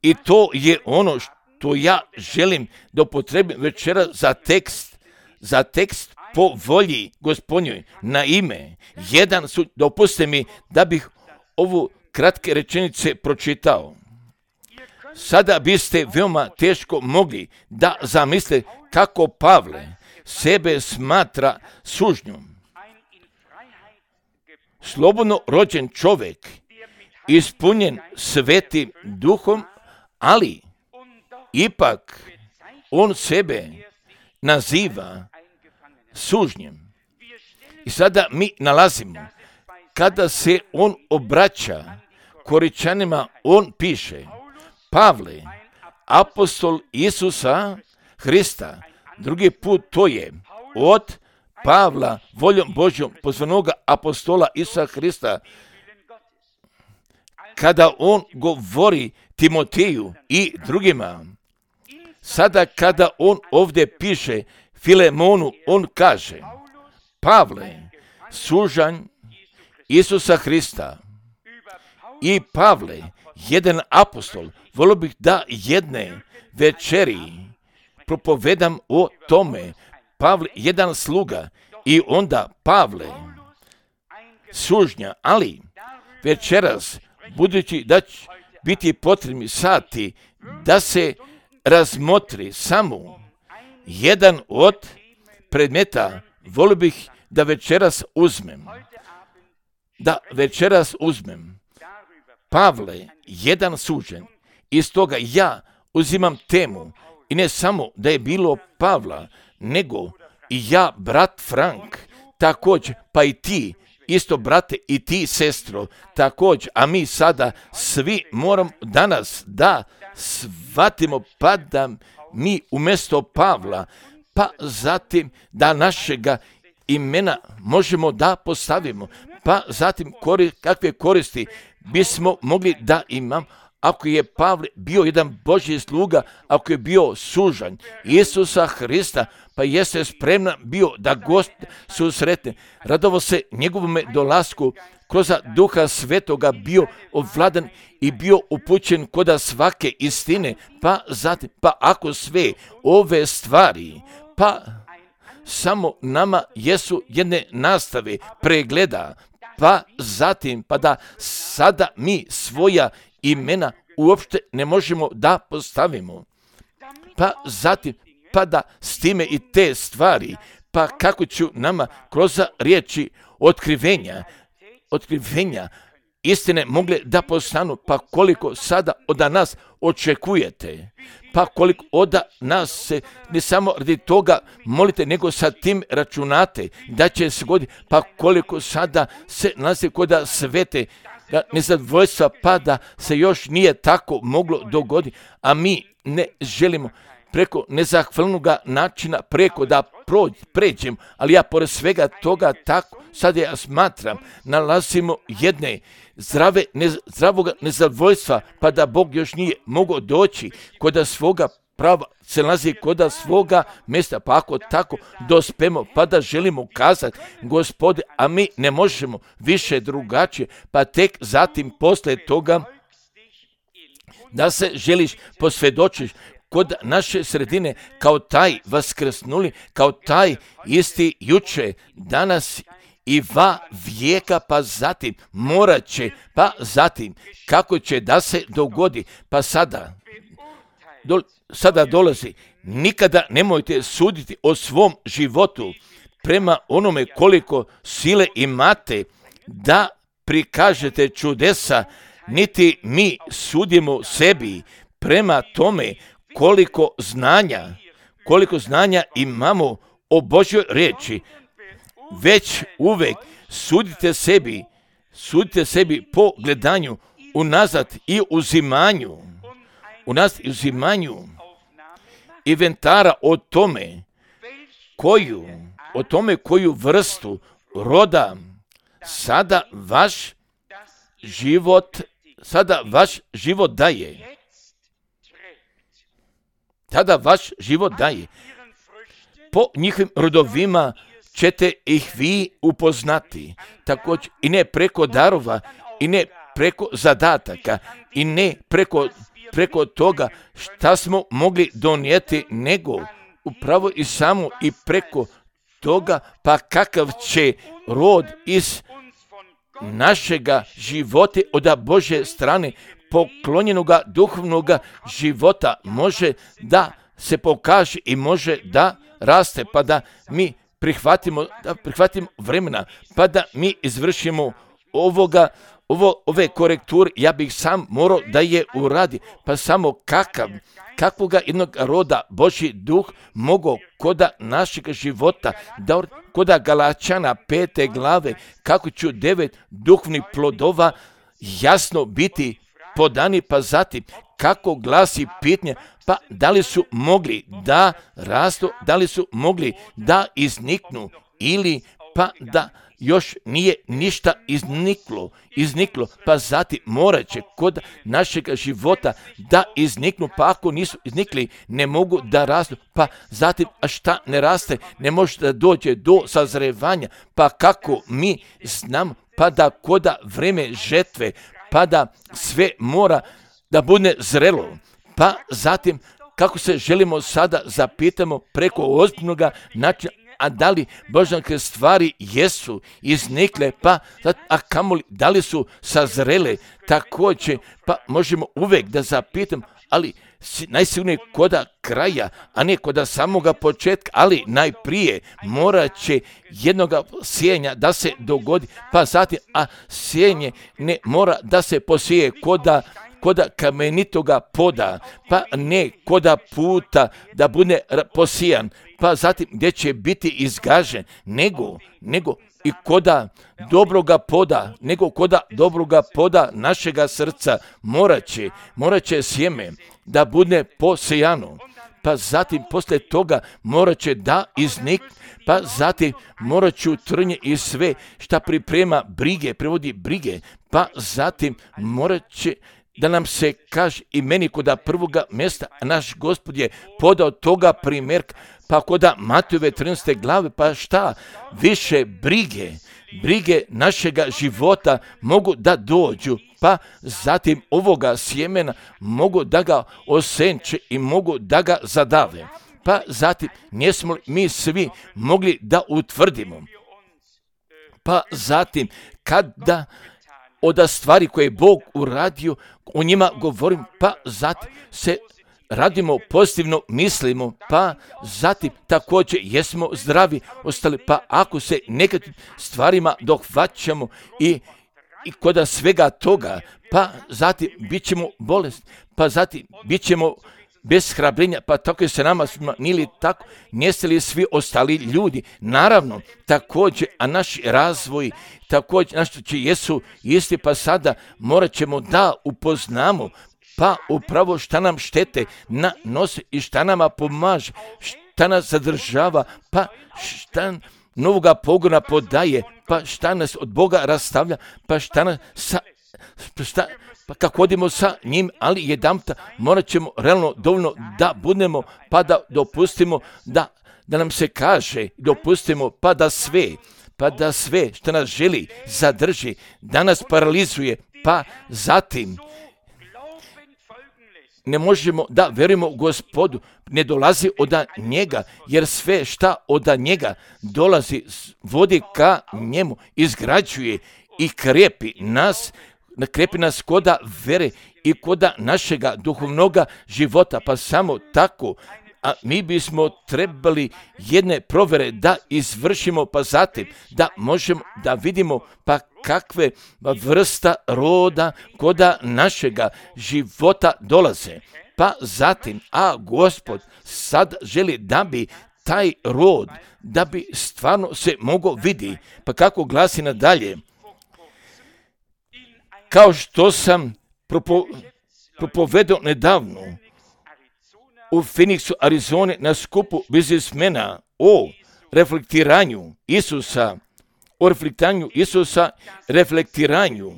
I to je ono što ja želim da upotrebim večera za tekst, za tekst po volji Gospodnjoj na ime. Jedan su, dopustite mi da bih ovu kratke rečenice pročitao. Sada biste veoma teško mogli da zamislite kako Pavle sebe smatra sužnjom. Slobodno rođen čovjek, ispunjen svetim duhom, ali ipak on sebe naziva sužnjem. I sada mi nalazimo, kada se on obraća Koričanima, on piše: Pavle, apostol Isusa Hrista. Drugi put to je od Pavla, voljom Božjom, pozvanoga apostola Isusa Hrista. Kada on govori Timoteju i drugima, sada kada on ovdje piše Filemonu, on kaže: Pavle, sužanj Isusa Hrista. I Pavle, jedan apostol, volio bih da jedne večeri propovedam o tome. Pavle, jedan sluga, i onda Pavle, sužnja, ali večeras, budući da će biti potrebni sati da se razmotri samo jedan od predmeta, volio bih da večeras uzmem, da večeras uzmem Pavle, jedan sužen. Iz toga ja uzimam temu, i ne samo da je bilo Pavla, nego i ja, brat Frank, također, pa i ti, isto brate, i ti, sestro, također, a mi sada svi moramo danas da shvatimo, pa da mi umjesto Pavla, pa zatim da našega imena možemo da postavimo, pa zatim kori, kakve koristi bismo mogli da imam, ako je Pavle bio jedan Božji sluga, ako je bio sužanj Isusa Hrista, pa jeste spreman bio da gost susretne, radovo se njegovome dolasku, kroz Duha Svetoga bio ovladan i bio upućen koda svake istine, pa zatim, pa ako sve ove stvari, pa samo nama jesu jedne nastave, pregleda, pa zatim, pa da sada mi svoja imena uopšte ne možemo da postavimo. Pa zatim, pa da s time i te stvari, pa kako ću nama kroz riječi otkrivenja, otkrivenja istine mogle da postanu, pa koliko sada od nas očekujete, pa koliko od nas se ne samo radi toga molite, nego sa tim računate da će se goditi, pa koliko sada se nalazi koda svete nezadovoljstva, pa da se još nije tako moglo dogoditi, a mi ne želimo preko nezahvalnog načina, preko da prođ, pređem, ali ja pored svega toga tako, sad ja smatram, nalazimo jedne zdrave, ne, zdravog nezadovoljstva, pa da Bog još nije mogao doći kod svoga prava, se nalazi kod svoga mjesta, pa ako tako dospemo, pa da želimo kazati, Gospode, a mi ne možemo više drugačije, pa tek zatim posle toga da se želiš posvjedočiš kod naše sredine kao taj vaskrsnuli, kao taj isti juče, danas i va vijeka, pa zatim morat će, pa zatim kako će da se dogodi, pa sada, do, sada dolazi, nikada nemojte suditi o svom životu prema onome koliko sile imate da prikažete čudesa, niti mi sudimo sebi prema tome koliko znanja, koliko znanja imamo o Božjoj riječi, već uvek sudite sebi, sudite sebi po gledanju unazad i uzimanju, unazad i uzimanju inventara o tome koju, o tome koju vrstu roda sada vaš život, sada vaš život daje. Tada vaš život daje. Po njihovim rodovima ćete ih vi upoznati. Također i ne preko darova, i ne preko zadataka, i ne preko, preko toga šta smo mogli donijeti, nego upravo i samo i preko toga, pa kakav će rod iz našega života od Božje strane poklonjenoga duhovnoga života može da se pokaže i može da raste, pa da mi prihvatimo, da prihvatimo vremena, pa da mi izvršimo ovoga, ovo, ove korekture. Ja bih sam morao da je uradi, pa samo kakav, kakvoga jednog roda Božji duh mogao koda našeg života, da koda Galačana pete glave, kako ću devet duhovnih plodova jasno biti podani, pa zatim kako glasi pitanje, pa da li su mogli da rastu, da li su mogli da izniknu, ili pa da još nije ništa izniklo, izniklo, pa zatim morat će kod našeg života da izniknu, pa ako nisu iznikli, ne mogu da rastu, pa zatim, a šta ne raste, ne može da dođe do sazrevanja, pa kako mi znamo, pa da koda vreme žetve, pa da sve mora da bude zrelo, pa zatim kako se želimo sada zapitamo preko ozbiljnoga načina, a da li božanske stvari jesu iznikle, pa a kamoli da li su sazrele, također, pa možemo uvijek da zapitamo, ali najsigurnije koda kraja, a ne koda samoga početka, ali najprije morat će jednoga sjenja da se dogodi, pa zatim, a sjenje ne mora da se posije koda koda kamenitoga poda, pa ne koda puta da bude posijan, pa zatim gdje će biti izgažen, nego, nego i koda dobroga poda, nego koda dobroga poda našega srca morat će, morat će sjeme da bude posijano, pa zatim poslije toga morat će da iznik, pa zatim morat ću trnje i sve šta priprema brige, prevodi brige, pa zatim morat će da nam se kaže i meni koda prvoga mjesta, naš Gospod je podao toga primjerka, pa koda Matejove trinaeste glave, pa šta više brige, brige našega života mogu da dođu, pa zatim ovoga sjemena mogu da ga osenče i mogu da ga zadave. Pa zatim nismo mi svi mogli da utvrdimo. Pa zatim kada od stvari koje je Bog uradio, o njima govorim, pa zatim se radimo pozitivno, mislimo, pa zatim također jesmo zdravi ostali, pa ako se nekakvim stvarima dohvaćamo i, i kod svega toga, pa zatim bit ćemo bolesni, pa zatim bit ćemo bez hrabrenja, pa tako je se nama nili tako, niste li svi ostali ljudi, naravno, također, a naš razvoj, također, našto će jesu isti, pa sada morat ćemo da upoznamo, pa upravo šta nam štete na nose i šta nama pomaže, šta nas zadržava, pa šta novoga pogona podaje, pa šta nas od Boga rastavlja, pa šta nas sa, šta, pa kako hodimo sa njim, ali jedanputa morat ćemo realno dovoljno da budemo, pa da dopustimo da, da nam se kaže, dopustimo pa da sve, pa da sve što nas želi zadrži, da nas paralizuje, pa zatim ne možemo da verujemo Gospodu, ne dolazi od njega, jer sve šta od njega dolazi, vodi ka njemu, izgrađuje i krepi nas, krepi nas koda vere i koda našega duhovnoga života, pa samo tako, a mi bismo trebali jedne provere da izvršimo, pa zatim da možemo da vidimo pa kakve vrsta roda koda našega života dolaze. Pa zatim, a Gospod sad želi da bi taj rod, da bi stvarno se mogao vidi, pa kako glasi nadalje, kao što sam propo, propovedao nedavno u Phoenixu, Arizone, na skupu biznismena o reflektiranju Isusa, o reflektiranju Isusa, reflektiranju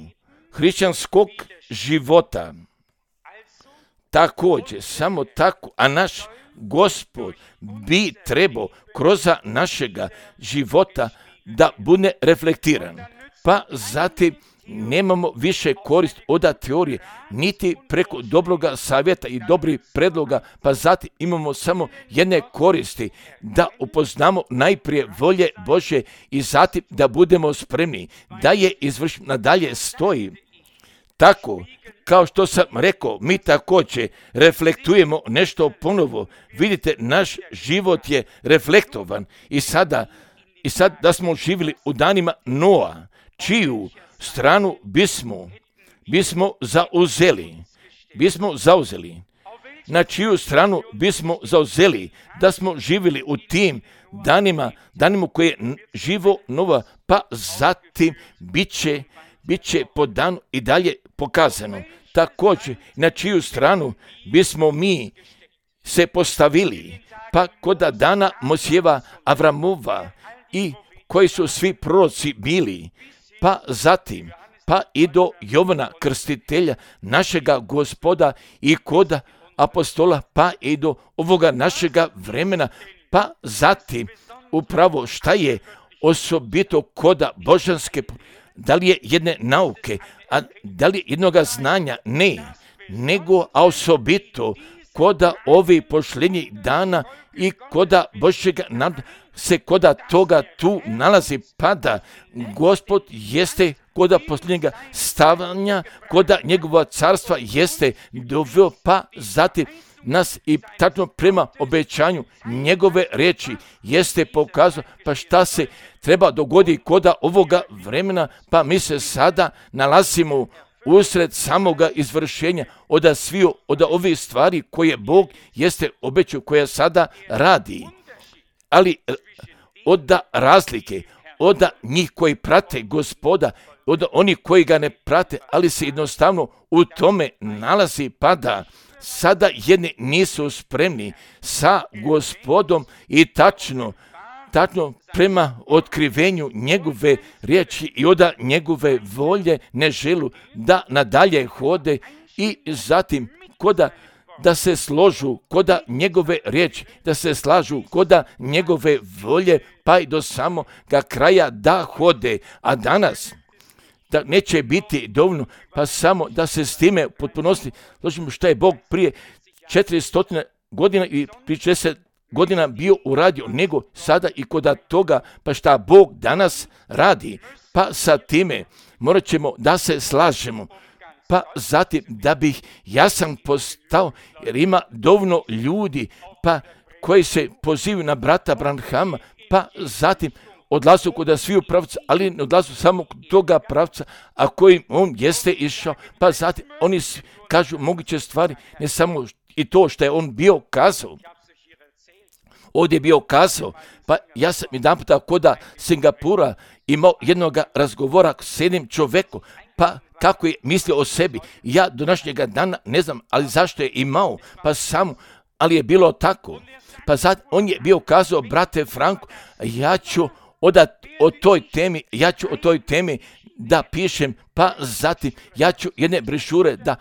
hrišćanskog života. Također, samo tako, a naš Gospod bi trebao kroz našega života da bude reflektiran. Pa zatim nemamo više korist od teorije, niti preko dobroga savjeta i dobrih predloga, pa zatim imamo samo jedne koristi, da upoznamo najprije volje Božje i zatim da budemo spremni, da je izvršimo, nadalje stoji. Tako, kao što sam rekao, mi također reflektujemo nešto ponovo. Vidite, naš život je reflektovan i sada, i sad da smo živjeli u danima Noa, čiju stranu bismo, bismo zauzeli, bismo zauzeli, na čiju stranu bismo zauzeli, da smo živjeli u tim danima, danima koje je živo Nova, pa zatim bit će, bit će po danu i dalje pokazano. Također, na čiju stranu bismo mi se postavili, pa kod dana Mojsijeva, Avramova i koji su svi proroci bili, pa zatim, pa i do Jovana Krstitelja, našega Gospoda i kod apostola, pa i do ovoga našega vremena, pa zatim upravo šta je osobito koda božanske, da li je jedne nauke, a da li je jednoga znanja? Ne, nego a osobito koda ovih pošljenjih dana i koda Božjega nad se koda toga tu nalazi, pada. Gospod jeste koda posljednjega stavanja, koda njegova carstva jeste doveo, pa zatim nas i tačno prema obećanju njegove riječi jeste pokazao, pa šta se treba dogoditi koda ovoga vremena, pa mi se sada nalazimo usred samoga izvršenja od sviju, od ovih stvari koje Bog jeste obećao, koja sada radi. Ali od razlike, od njih koji prate Gospoda, od onih koji ga ne prate, ali se jednostavno u tome nalazi, pada. Sada jedni nisu spremni sa Gospodom i tačno, tačno prema otkrivenju njegove riječi i od njegove volje ne želu da nadalje hode i zatim koda da se složu koda njegove riječi, da se slažu koda njegove volje, pa i do samoga kraja da hode. A danas da neće biti dovoljno, pa samo da se s time potpunosti složimo što je Bog prije četiristo godina i prije četrdeset godina bio uradio, nego sada i koda toga, pa šta Bog danas radi. Pa sa time morat ćemo da se slažemo. Pa zatim da bih ja sam postao, jer ima dovoljno ljudi pa koji se pozivaju na brata Branhama, pa zatim odlazu kod sviju pravca, ali ne odlazu samo kod toga pravca, a kojim on jeste išao, pa zatim oni kažu moguće stvari, ne samo i to što je on bio kazao. Ovdje je bio kazao, pa ja sam jedan puta kod Singapura imao jednog razgovora s jednim čovjekom, pa kako je mislio o sebi. Ja do današnjega dana ne znam, ali zašto je imao, pa samo, ali je bilo tako. Pa sad on je bio kazao, brate Franko, ja ću odat o toj temi, ja ću o toj temi da pišem, pa zatim ja ću jedne brošure da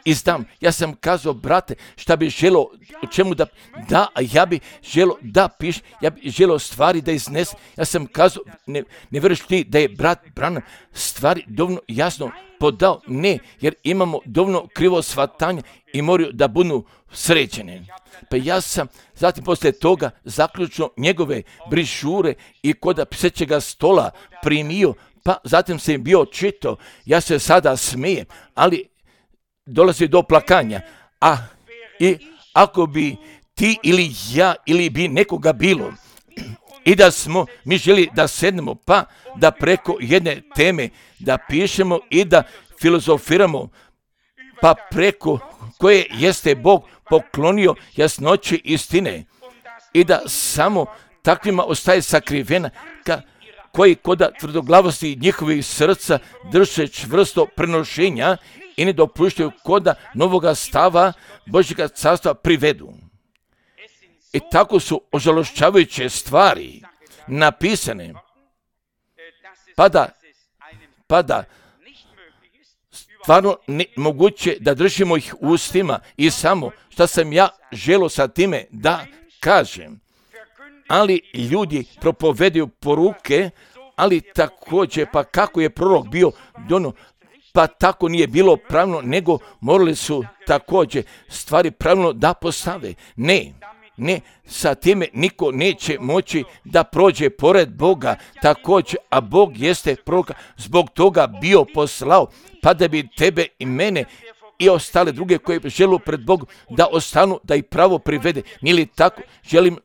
izdam. Ja sam kazao, brate, šta bi želo, o čemu da, da, ja bi želo da piš, ja bi želo stvari da iznes. Ja sam kazao, ne, ne vjeruješ ti da je brat Branham stvari dovoljno jasno podao? Ne, jer imamo dovoljno krivo shvatanje i moraju da budu sređene. Pa ja sam zatim poslije toga zaključno njegove brošure i kod pisaćega stola primio, pa zatim sam bio čitao. Ja se sada smijem, ali dolazi do plakanja. A i ako bi ti ili ja ili bi nekoga bilo i da smo mi želi da sednemo, pa da preko jedne teme da pišemo i da filozofiramo, pa preko koje jeste Bog poklonio jasnoći istine i da samo takvima ostaje sakrivena ka, koji koda tvrdoglavosti njihovih srca drže čvrsto prenošenja i ne dopuštaju koda novoga stava Božjega carstva privedu. I tako su ožalošćavajuće stvari napisane, pa da, pa da stvarno ne, moguće da držimo ih u ustima i samo šta sam ja želio sa time da kažem. Ali ljudi propovedaju poruke, ali također pa kako je prorok bio dono, pa tako nije bilo pravilno, nego morali su također stvari pravilno da postave. Ne, ne, sa time niko neće moći da prođe pored Boga također, a Bog jeste proroka zbog toga bio poslao, pa da bi tebe i mene i ostale druge koje žele pred Bogom da ostanu, da ih pravo privede. Nije li tako? Želimo,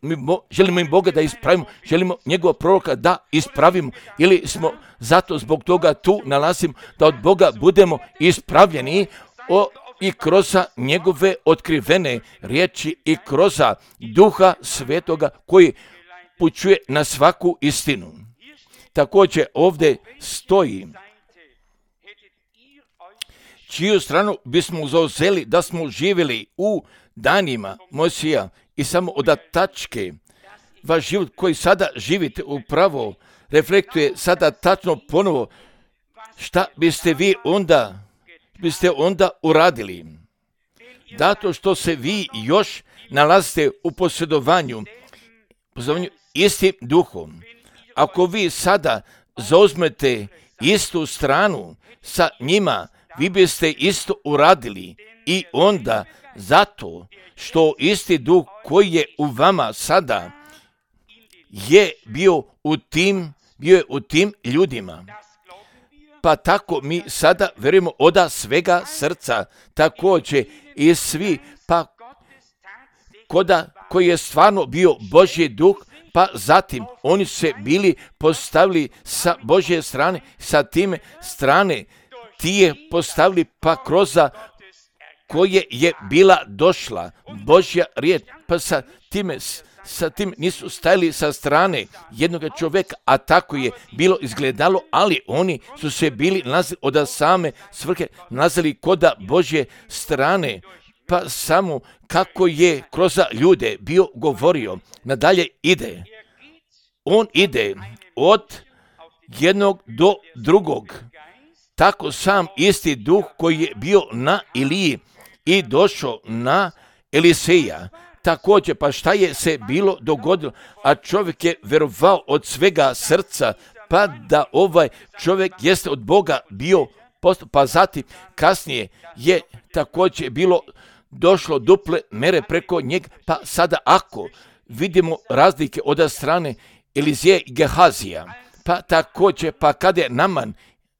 želimo im Boga da ispravimo, želimo njegovog proroka da ispravimo, ili smo zato zbog toga tu nalazimo da od Boga budemo ispravljeni o, i kroz njegove otkrivene riječi i kroz Duha Svetoga koji pućuje na svaku istinu. Također ovdje stoji: čiju stranu bismo zauzeli da smo živjeli u danima Mojsija i samo od tačke vaš život koji sada živite upravo reflektuje sada tačno ponovo šta biste vi onda biste onda uradili. Zato što se vi još nalazite u posjedovanju, posjedovanju istim duhom. Ako vi sada zauzmete istu stranu sa njima, vi biste isto uradili i onda zato što isti duh koji je u vama sada je bio u tim, bio je u tim ljudima. Pa tako mi sada vjerujemo od svega srca, također i svi, pa koda koji je stvarno bio Božji duh, pa zatim oni se bili postavili sa Božje strane, sa time strane ti je postavili pa kroz koje je bila došla Božja riječ, pa sa time sa tim nisu stajali sa strane jednog čovjeka, a tako je bilo izgledalo, ali oni su se bili nalazili od same svrhe, nalazili kod Božje strane, pa samo kako je kroz ljude bio govorio. Nadalje ide. On ide od jednog do drugog. Tako sam isti duh koji je bio na Iliji i došao na Eliseja. Također, pa šta je se bilo dogodilo, a čovjek je vjerovao od svega srca, pa da ovaj čovjek jeste od Boga bio postup, pa zatim kasnije je također bilo došlo duple mere preko njega, pa sada ako vidimo razlike od strane Elizije i Gehazija, pa također, pa kada je Naman,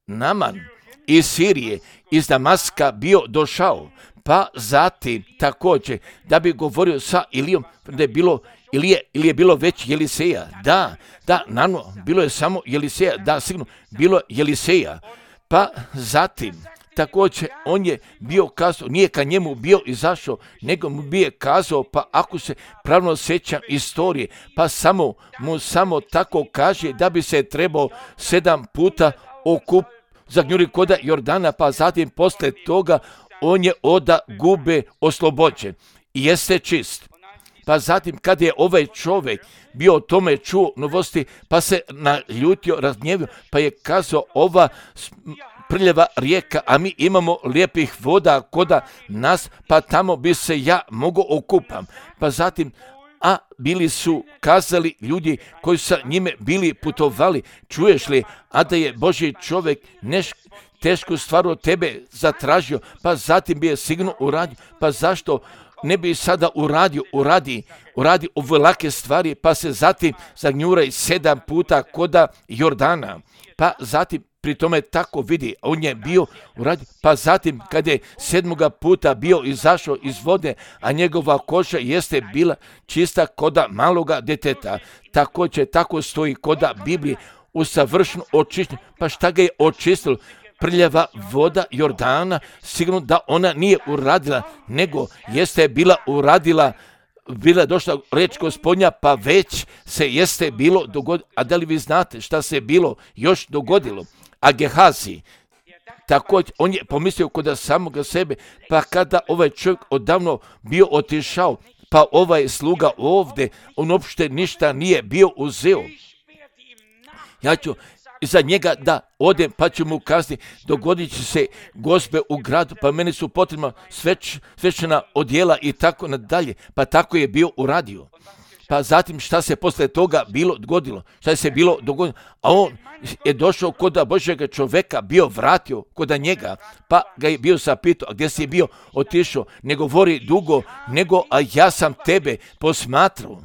Naman iz Sirije, iz Damaska bio došao, pa zatim također da bi govorio sa Ilijom, da je bilo Ilije, ili je bilo već Eliseja, da, da, naravno, bilo je samo Eliseja, da, sigurno, bilo je Eliseja, pa zatim također on je bio kazao, nije ka njemu bio izašao, nego mu bio kazao, pa ako se pravno sjećam istorije, pa samo mu samo tako kaže da bi se trebao sedam puta okup zagnjuri koda Jordana, pa zatim posle toga on je oda gube oslobođen i jeste čist. Pa zatim kad je ovaj čovjek bio o tome čuo novosti, pa se naljutio, razgnjevio, pa je kazao ova prljava rijeka, a mi imamo lijepih voda koda nas, pa tamo bi se ja mogao okupam. Pa zatim, a bili su kazali ljudi koji sa njime bili putovali, čuješ li, a da je Božji čovjek neš tešku stvar od tebe zatražio, pa zatim bi je sigurno uradio, pa zašto ne bi sada uradio, uradi, uradi ove lake stvari, pa se zatim zagnjuraj sedam puta koda Jordana, pa zatim pri tome tako vidi, on je bio uradio, pa zatim kad je sedmoga puta bio izašao iz vode, a njegova koža jeste bila čista koda maloga deteta, također tako stoji koda Biblije, usavršeno očišćen, pa šta ga je očistilo? Prljava voda Jordana, sigurno da ona nije uradila, nego jeste bila uradila, bila došla reč Gospodnja, pa već se jeste bilo dogodilo. A da li vi znate šta se bilo još dogodilo? A Gehazi, također, on je pomislio kod samoga sebe, pa kada ovaj čovjek odavno bio otišao, pa ovaj sluga ovdje, on uopšte ništa nije bio uzeo. Ja ću za njega da odem pa ću mu kazati, dogodit će se gospe u gradu, pa meni su potrebna sveć, svečana odjela i tako nadalje. Pa tako je bio uradio. Pa zatim šta se posle toga bilo dogodilo? Šta se bilo dogodilo? A on je došao kod Božjega čoveka, bio vratio kod njega, pa ga je bio zapitao, a gdje si bio? Otišao, ne govori dugo, nego a ja sam tebe posmatrao.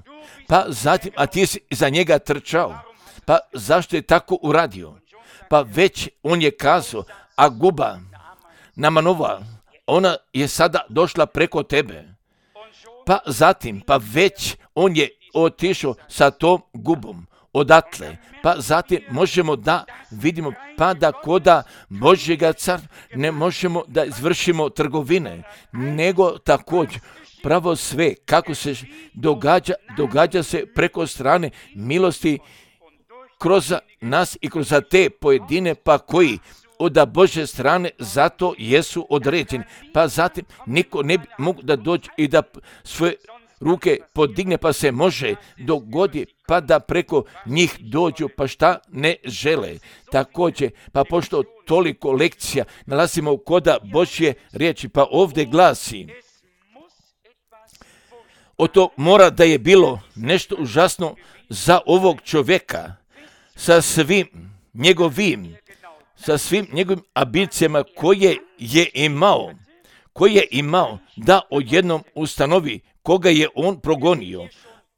Pa zatim, a ti si za njega trčao. Pa zašto je tako uradio? Pa već on je kazao, a guba Namanova, ona je sada došla preko tebe. Pa zatim, pa već on je otišao sa tom gubom odatle. Pa zatim možemo da vidimo pa da koda Božjega carstva ne možemo da izvršimo trgovine, nego također pravo sve kako se događa, događa se preko strane milosti kroz nas i kroz te pojedine pa koji od Božje strane zato jesu određeni. Pa zatim niko ne bi mogu da dođe i da svoje ruke podigne pa se može dogodi pa da preko njih dođu pa šta ne žele. Također, pa pošto toliko lekcija nalazimo koda Božje riječi, pa ovdje glasi, o to mora da je bilo nešto užasno za ovog čovjeka sa svim njegovim sa svim njegovim ambicijama koje je imao, koje je imao da odjednom ustanovi koga je on progonio.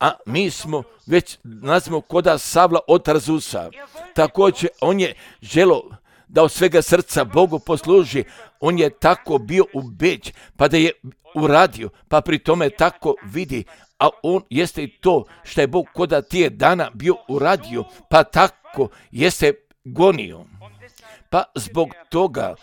A mi smo već nazvimo koda Savla od Tarzusa. Također on je želo da od svega srca Bogu posluži. On je tako bio ubeđen, pa da je uradio, pa pri tome tako vidi. A on jeste i to što je Bog koda tije dana bio uradio, pa tako jeste gonio. Pa zbog toga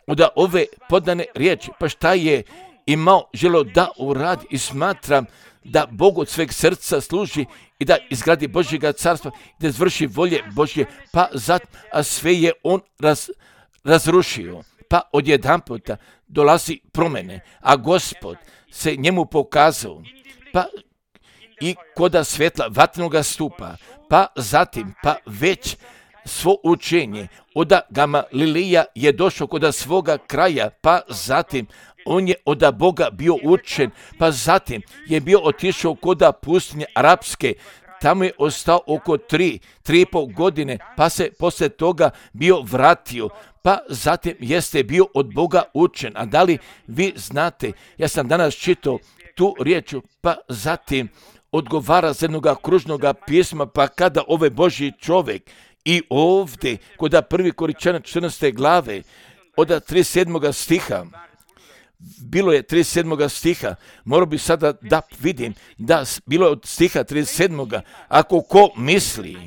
da ove podane riječi, pa šta je imao želo da uradi i smatram da Bog od sveg srca služi i da izgradi Božjega carstva i da izvrši volje Božje, pa zato, a sve je on raz, razrušio. Pa odjedan puta dolazi promjene, a Gospod se njemu pokazao, pa i koda svjetla vatrenoga stupa, pa zatim, pa već svo učenje od Gamalilija je došao kod svoga kraja, pa zatim on je od Boga bio učen, pa zatim je bio otišao kod pustinje arapske, tamo je ostao oko tri, tri i pol godine, pa se poslije toga bio vratio, pa zatim jeste bio od Boga učen. A da li vi znate, ja sam danas čitao tu riječu, pa zatim odgovara za jednoga kružnoga pisma, pa kada ovaj Božji čovjek i ovdje, kod prvi Koričana četrnaeste glave, od trideset sedmog stiha, bilo je trideset sedmog stiha, morao bi sada da vidim, da bilo je od stiha trideset sedmog Ako ko misli,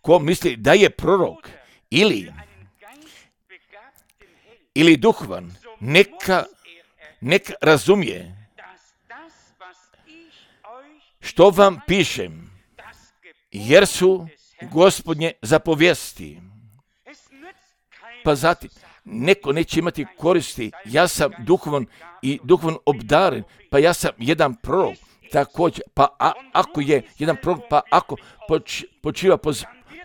ko misli da je prorok, ili, ili duhvan, neka, neka razumije što vam pišem, jer su Gospodnje zapovijesti. Pa zatim, neko neće imati koristi, ja sam duhovan i duhovan obdaren, pa ja sam jedan prorok, također, pa a, ako je jedan prorok, pa ako poč, počiva poz,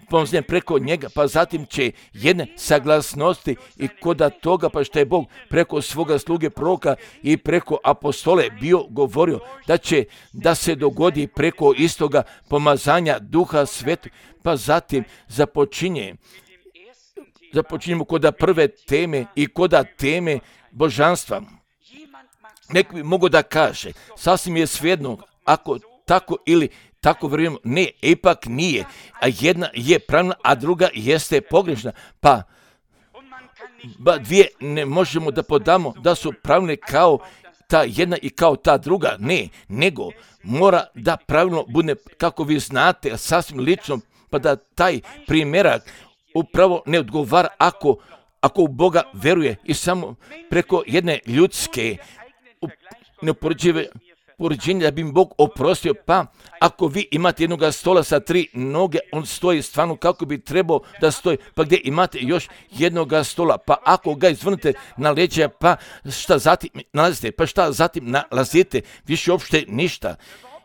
pomznem preko njega, pa zatim će jedne saglasnosti i koda toga, pa što je Bog preko svoga sluge proroka i preko apostole bio govorio da će da se dogodi preko istoga pomazanja Duha Svetog, pa zatim započinje započinjemo koda prve teme i koda teme božanstva. Nek bi mogo da kaže, sasvim je svejedno ako tako ili tako vjerujemo, ne, ipak nije, a jedna je pravilna, a druga jeste pogrešna, pa ba dvije ne možemo da podamo da su pravilne kao ta jedna i kao ta druga, ne, nego mora da pravilno bude, kako vi znate, sasvim lično, pa da taj primjerak upravo ne odgovara ako, ako u Boga veruje i samo preko jedne ljudske neopoređive poređenje da bi im Bog oprostio, pa ako vi imate jednog stola sa tri noge, on stoji stvarno kako bi trebao da stoji, pa gdje imate još jednog stola, pa ako ga izvrnete na leđa, pa šta zatim nalazite, pa šta zatim nalazite, više uopšte ništa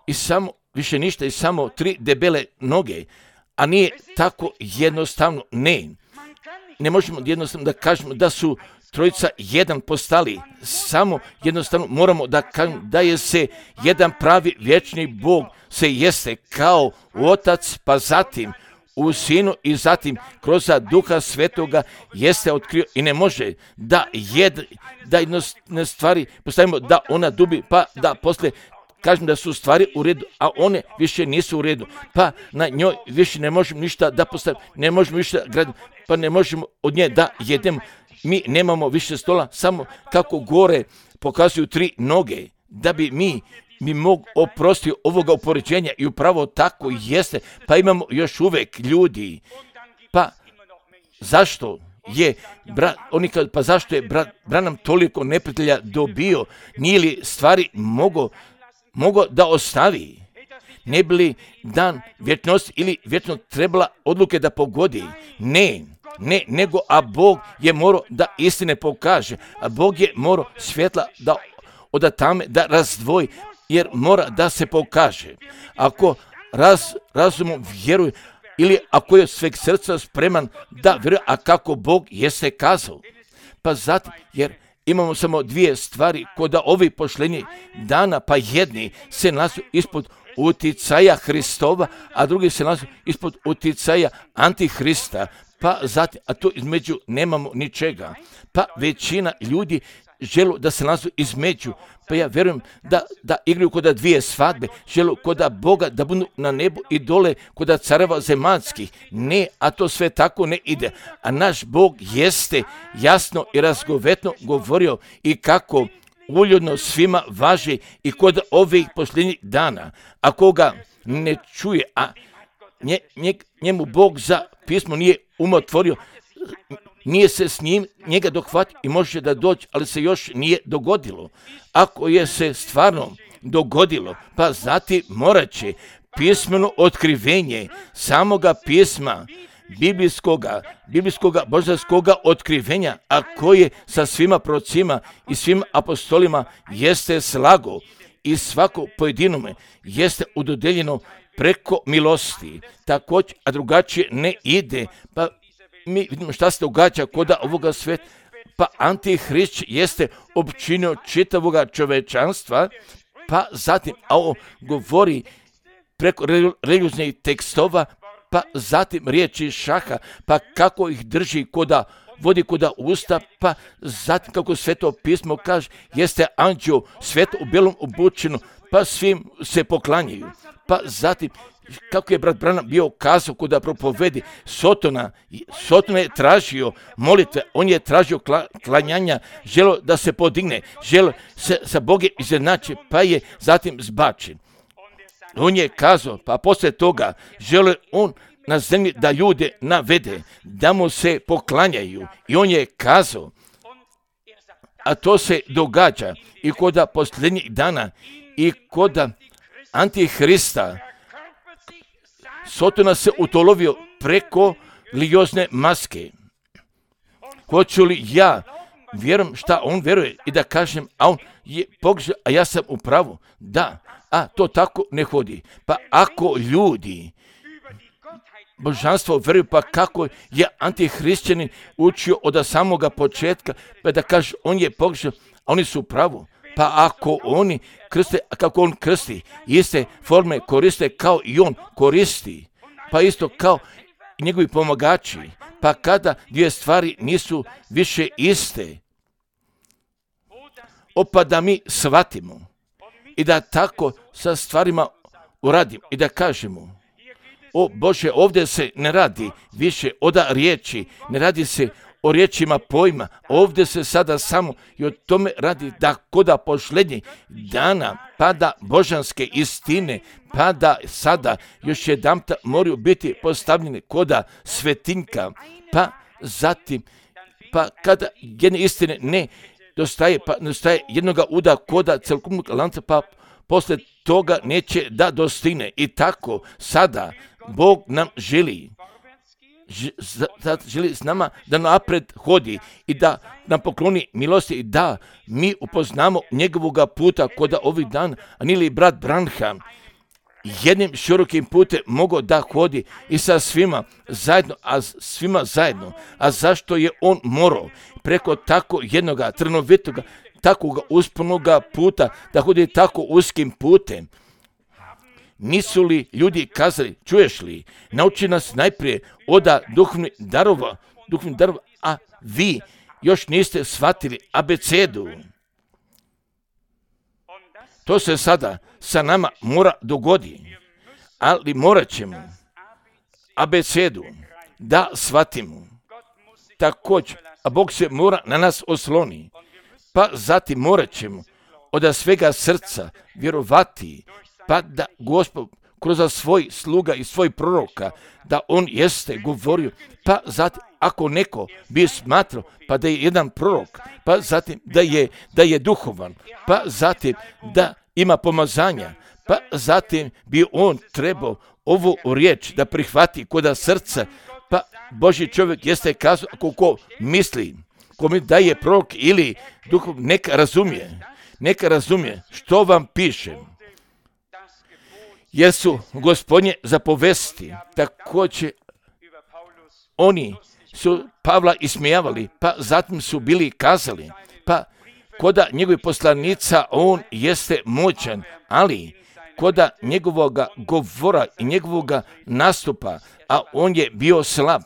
i samo, više ništa i samo tri debele noge, a nije tako jednostavno. Ne, ne možemo jednostavno da kažemo da su trojica jedan postali, samo jednostavno moramo da kažemo da je se jedan pravi vječni Bog se jeste kao Otac, pa zatim u Sinu i zatim kroz Duha Svetoga jeste otkrio i ne može da jed, da jednostavne stvari postavimo da ona dubi, pa da posle kažem da su stvari u redu, a one više nisu u redu, pa na njoj više ne možemo ništa da postavimo, ne možemo više graditi, pa ne možemo od nje da jedemo. Mi nemamo više stola, samo kako gore pokazuju tri noge, da bi mi mi mogu oprostiti ovoga upoređenja i upravo tako jeste, pa imamo još uvijek ljudi. Pa zašto je brat, oni kad, pa zašto je brat Branham toliko neprijatelja dobio, nije li stvari mogo, mogo da ostavi? Ne bi li dan vječnosti ili vječno trebala odluke da pogodi? Ne. Ne, nego, a Bog je morao da istine pokaže, a Bog je morao svjetla da od tame da razdvoji, jer mora da se pokaže. Ako raz, razumom vjeruje, ili ako je sveg srca spreman da vjeruje, a kako Bog jeste kazao. Pa zato, jer imamo samo dvije stvari kod ovi pošlenji dana, pa jedni se nalaze ispod uticaja Hristova, a drugi se nalaze ispod uticaja Antihrista. Pa zatim, a to između nemamo ničega. Pa većina ljudi želu da se nalazu između. Pa ja vjerujem da, da igraju kod dvije svadbe, želu kod Boga da budu na nebu i dole kod careva zemaljskih. Ne, a to sve tako ne ide. A naš Bog jeste jasno i razgovetno govorio i kako uljudno svima važi i kod ovih posljednjih dana. A koga ne čuje, a nje, nje, njemu Bog za pismo nije umotvorio, nije se s njim njega dohvatio i može da dođe, ali se još nije dogodilo. Ako je se stvarno dogodilo, pa zatim morat će pismeno otkrivenje samoga pisma, biblijskoga, biblijskoga božanskoga otkrivenja, a koje sa svima procima i svim apostolima jeste slago i svako pojedinome jeste udodeljeno preko milosti, također, a drugačije ne ide. Pa mi vidimo šta se događa kod ovoga sveta, pa Antihrist jeste opčinio čitavoga čovečanstva, pa zatim, a on govori preko religioznih tekstova, pa zatim riječi šaha, pa kako ih drži koda, vodi koda usta, pa zatim kako Sveto pismo kaže, jeste anđeo sveto u belom obučeno, pa svim se poklanjaju. Pa zatim, kako je brat Branham bio kazao kuda propovedi, Sotona, Sotona je tražio molitve, on je tražio kla, klanjanja, želo da se podigne, želo se sa Bogom izjednači, pa je zatim zbačen. On je kazao, pa poslije toga žele on na zemlji da ljude navede, da mu se poklanjaju. I on je kazao, a to se događa i kod posljednjih dana i kod Antihrista. Sotona se utolovio preko religiozne maske. Hoću li ja vjerujem šta on vjeruje i da kažem, a on je pogriješio, a ja sam u pravu? Da, a to tako ne hodi. Pa ako ljudi božanstvo vjeruju, pa kako je antihrišćanin učio od samoga početka, pa da kaže on je pogriješio, a oni su u pravu. Pa ako oni krste, kako on krsti, iste forme koriste kao i on koristi, pa isto kao i njegovi pomagači, pa kada dvije stvari nisu više iste, opa da mi shvatimo i da tako sa stvarima uradimo i da kažemo, o Bože, ovdje se ne radi više od riječi, ne radi se o riječima pojma, ovdje se sada samo i o tome radi da koda posljednjih dana pada božanske istine, pada sada još jedanput moraju biti postavljene koda svetinka, pa zatim, pa kada jedne istine ne dostaje, pa dostaje jednoga uda koda celokupnog lanca, pa poslije toga neće da dostigne. I tako sada Bog nam želi, želi s nama da napred hodi i da nam pokloni milosti i da mi upoznamo njegovoga puta kod ovih dana, a nije li brat Branham jednim širokim putem mogao da hodi i sa svima zajedno, a svima zajedno. A zašto je on morao preko tako jednoga trnovitoga, takvoga uspunoga puta da hodi tako uskim putem? Nisu li ljudi kazali, čuješ li, nauči nas najprije oda duhovnih darova, duhovnih darova, a vi još niste shvatili abecedu. To se sada sa nama mora dogodi, ali morat ćemo abecedu da shvatimo. Također, a Bog se mora na nas osloni, pa zatim morat ćemo od svega srca vjerovati, pa da Gospod kroz svoj sluga i svoj proroka, da on jeste govorio, pa zatim ako neko bi smatrao pa da je jedan prorok, pa zatim da je, da je duhovan, pa zatim da ima pomazanja, pa zatim bi on trebao ovu riječ da prihvati kod srca, pa Božji čovjek jeste kazao, ako ko misli, ko mi da je prorok ili duhov, neka razumije, neka razumije što vam piše. Jer su Gospodnje zapovesti, također oni su Pavla ismijavali, pa zatim su bili kazali, pa koda njegovih poslanica on jeste moćan, ali koda njegovoga govora i njegovoga nastupa, a on je bio slab.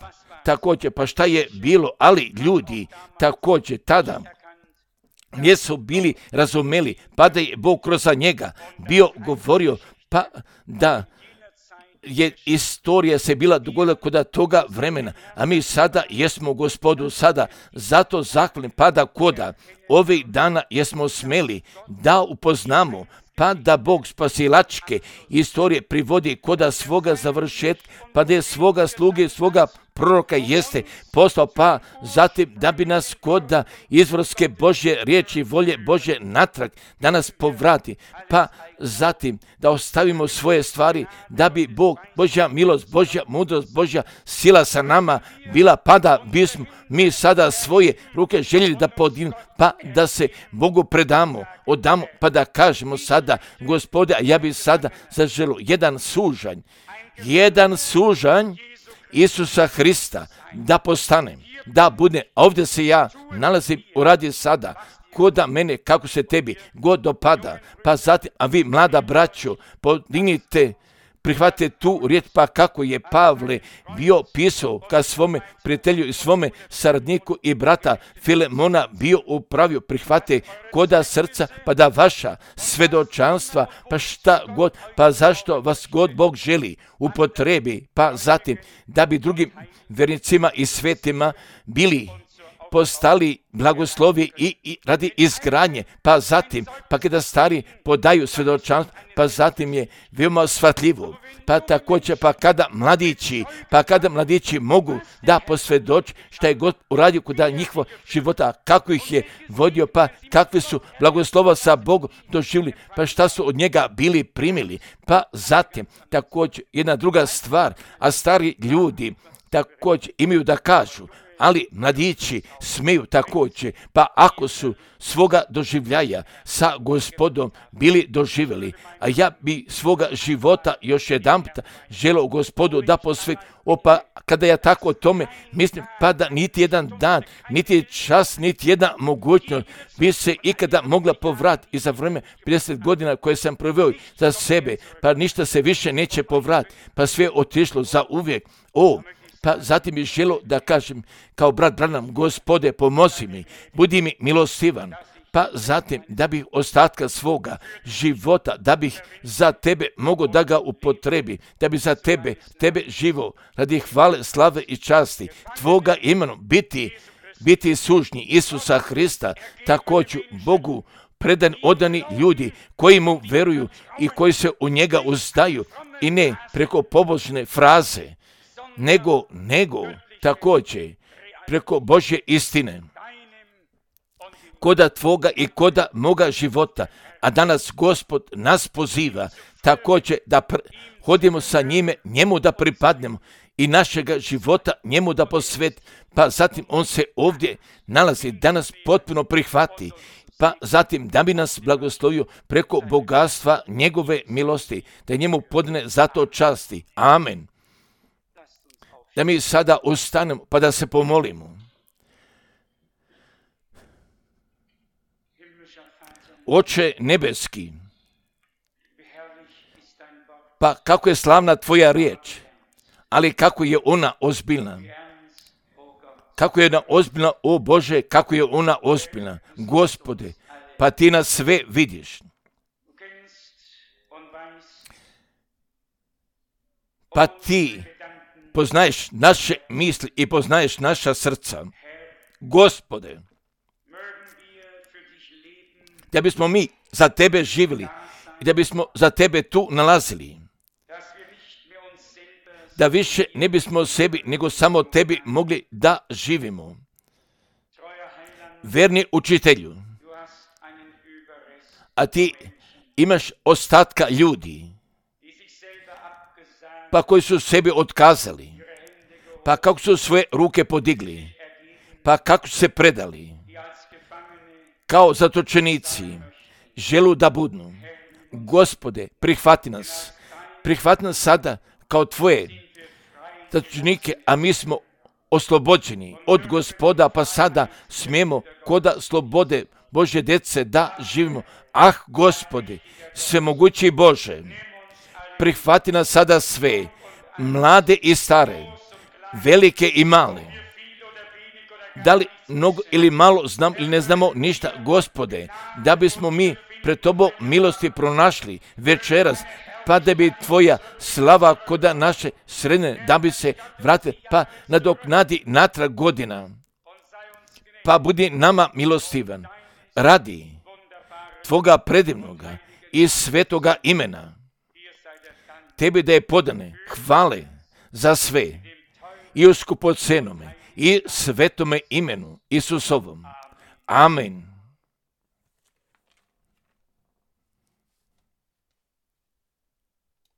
Također, pa šta je bilo, ali ljudi također tada nisu bili razumeli, pa da je Bog kroz njega bio govorio, pa da je istorija se bila dogodila kod toga vremena, a mi sada jesmo Gospodu sada, zato zahvalni pa da koda ovih dana jesmo smeli da upoznamo, pa da Bog spasilačke istorije privodi koda svoga završetka, pa da je svoga sluge, svoga proroka jeste poslao, pa zatim da bi nas koda izvorske Božje riječi, volje Božje natrag, da nas povrati, pa zatim da ostavimo svoje stvari, da bi Bog, Božja milost, Božja mudrost, Božja sila sa nama bila, pa da bismo mi sada svoje ruke željeli da podignu, pa da se Bogu predamo, odamo, pa da kažemo sada, Gospode, a ja bi sada zaželio jedan sužanj, jedan sužanj Isusa Hrista da postane, da bude, a ovdje se ja nalazim u radi sada, koda mene kako se tebi god dopada, pa zatim, a vi mlada braćo, podignite, prihvatite tu riječ, pa kako je Pavle bio pisao ka svome prijatelju i svome saradniku i brata Filemona bio upravio, prihvate koda srca, pa da vaša svedočanstva, pa šta god, pa zašto vas god Bog želi upotrebi, pa zatim da bi drugim vernicima i svetima bili postali blagoslovi i, i radi izgradnje, pa zatim, pa kada stari podaju svjedočanstvo, pa zatim je veoma shvatljivo, pa također, pa kada mladići, pa kada mladići mogu da posvjedoči šta je God uradio kod njihova života, kako ih je vodio, pa kakve su blagoslova sa Bogom doživjeli, pa šta su od njega bili primili, pa zatim, također, jedna druga stvar, a stari ljudi također imaju da kažu, ali mladići smiju također, pa ako su svoga doživljaja sa Gospodom bili doživjeli, a ja bi svoga života još jedan puta želio Gospodu da posveti, opa, kada ja tako o tome mislim, pa da niti jedan dan, niti čas, niti jedna mogućnost bi se ikada mogla povratiti i za vreme pedeset godina koje sam proveo za sebe, pa ništa se više neće povratiti, pa sve otišlo za uvijek. O, pa zatim bih želio da kažem kao brat Branham, Gospode, pomozi mi, budi mi milostivan, pa zatim da bih ostatka svoga života, da bih za tebe mogao da ga upotrebi, da bi za tebe, tebe živo, radi hvale, slave i časti, tvoga imenom biti, biti sužnji Isusa Hrista, također Bogu predan odani ljudi koji mu veruju i koji se u njega uzdaju i ne preko pobožne fraze, nego, nego također preko Božje istine, koda tvoga i koda moga života, a danas Gospod nas poziva također da pr- hodimo sa njime, njemu da pripadnemo i našega života njemu da posveti, pa zatim on se ovdje nalazi da nas potpuno prihvati, pa zatim da bi nas blagoslovio preko bogatstva njegove milosti, da njemu podne zato časti. Amen. Da mi sada ustanemo pa da se pomolimo. Oče nebeski, pa kako je slavna tvoja riječ, ali kako je ona ozbiljna. Kako je ona ozbiljna, o Bože, kako je ona ozbiljna. Gospode, pa ti nas sve vidiš. Pa ti poznaješ naše misli i poznaješ naša srca. Gospode, da bismo mi za tebe živjeli i da bismo za tebe tu nalazili. Da više ne bismo sebi, nego samo tebi mogli da živimo. Verni učitelju, a ti imaš ostatka ljudi, pa koji su sebi otkazali, pa kako su svoje ruke podigli, pa kako su se predali, kao zatočenici, želu da budnu. Gospode, prihvati nas, prihvati nas sada kao tvoje zatočenike, a mi smo oslobođeni od Gospoda, pa sada smijemo koda slobode Božje djece da živimo. Ah, Gospode, svemogući Bože, prihvati nas sada sve, mlade i stare, velike i male. Da li mnogo ili malo znam ili ne znamo ništa, Gospode, da bismo mi pred Tobom milosti pronašli večeras, pa da bi tvoja slava koda naše sredine, da bi se vratila, pa nadoknadi natrag godina. Pa budi nama milostivan, radi tvoga predivnoga i svetoga imena. Tebi da je podane hvale za sve i u skupocenome i svetome imenu Isusovom. Amen.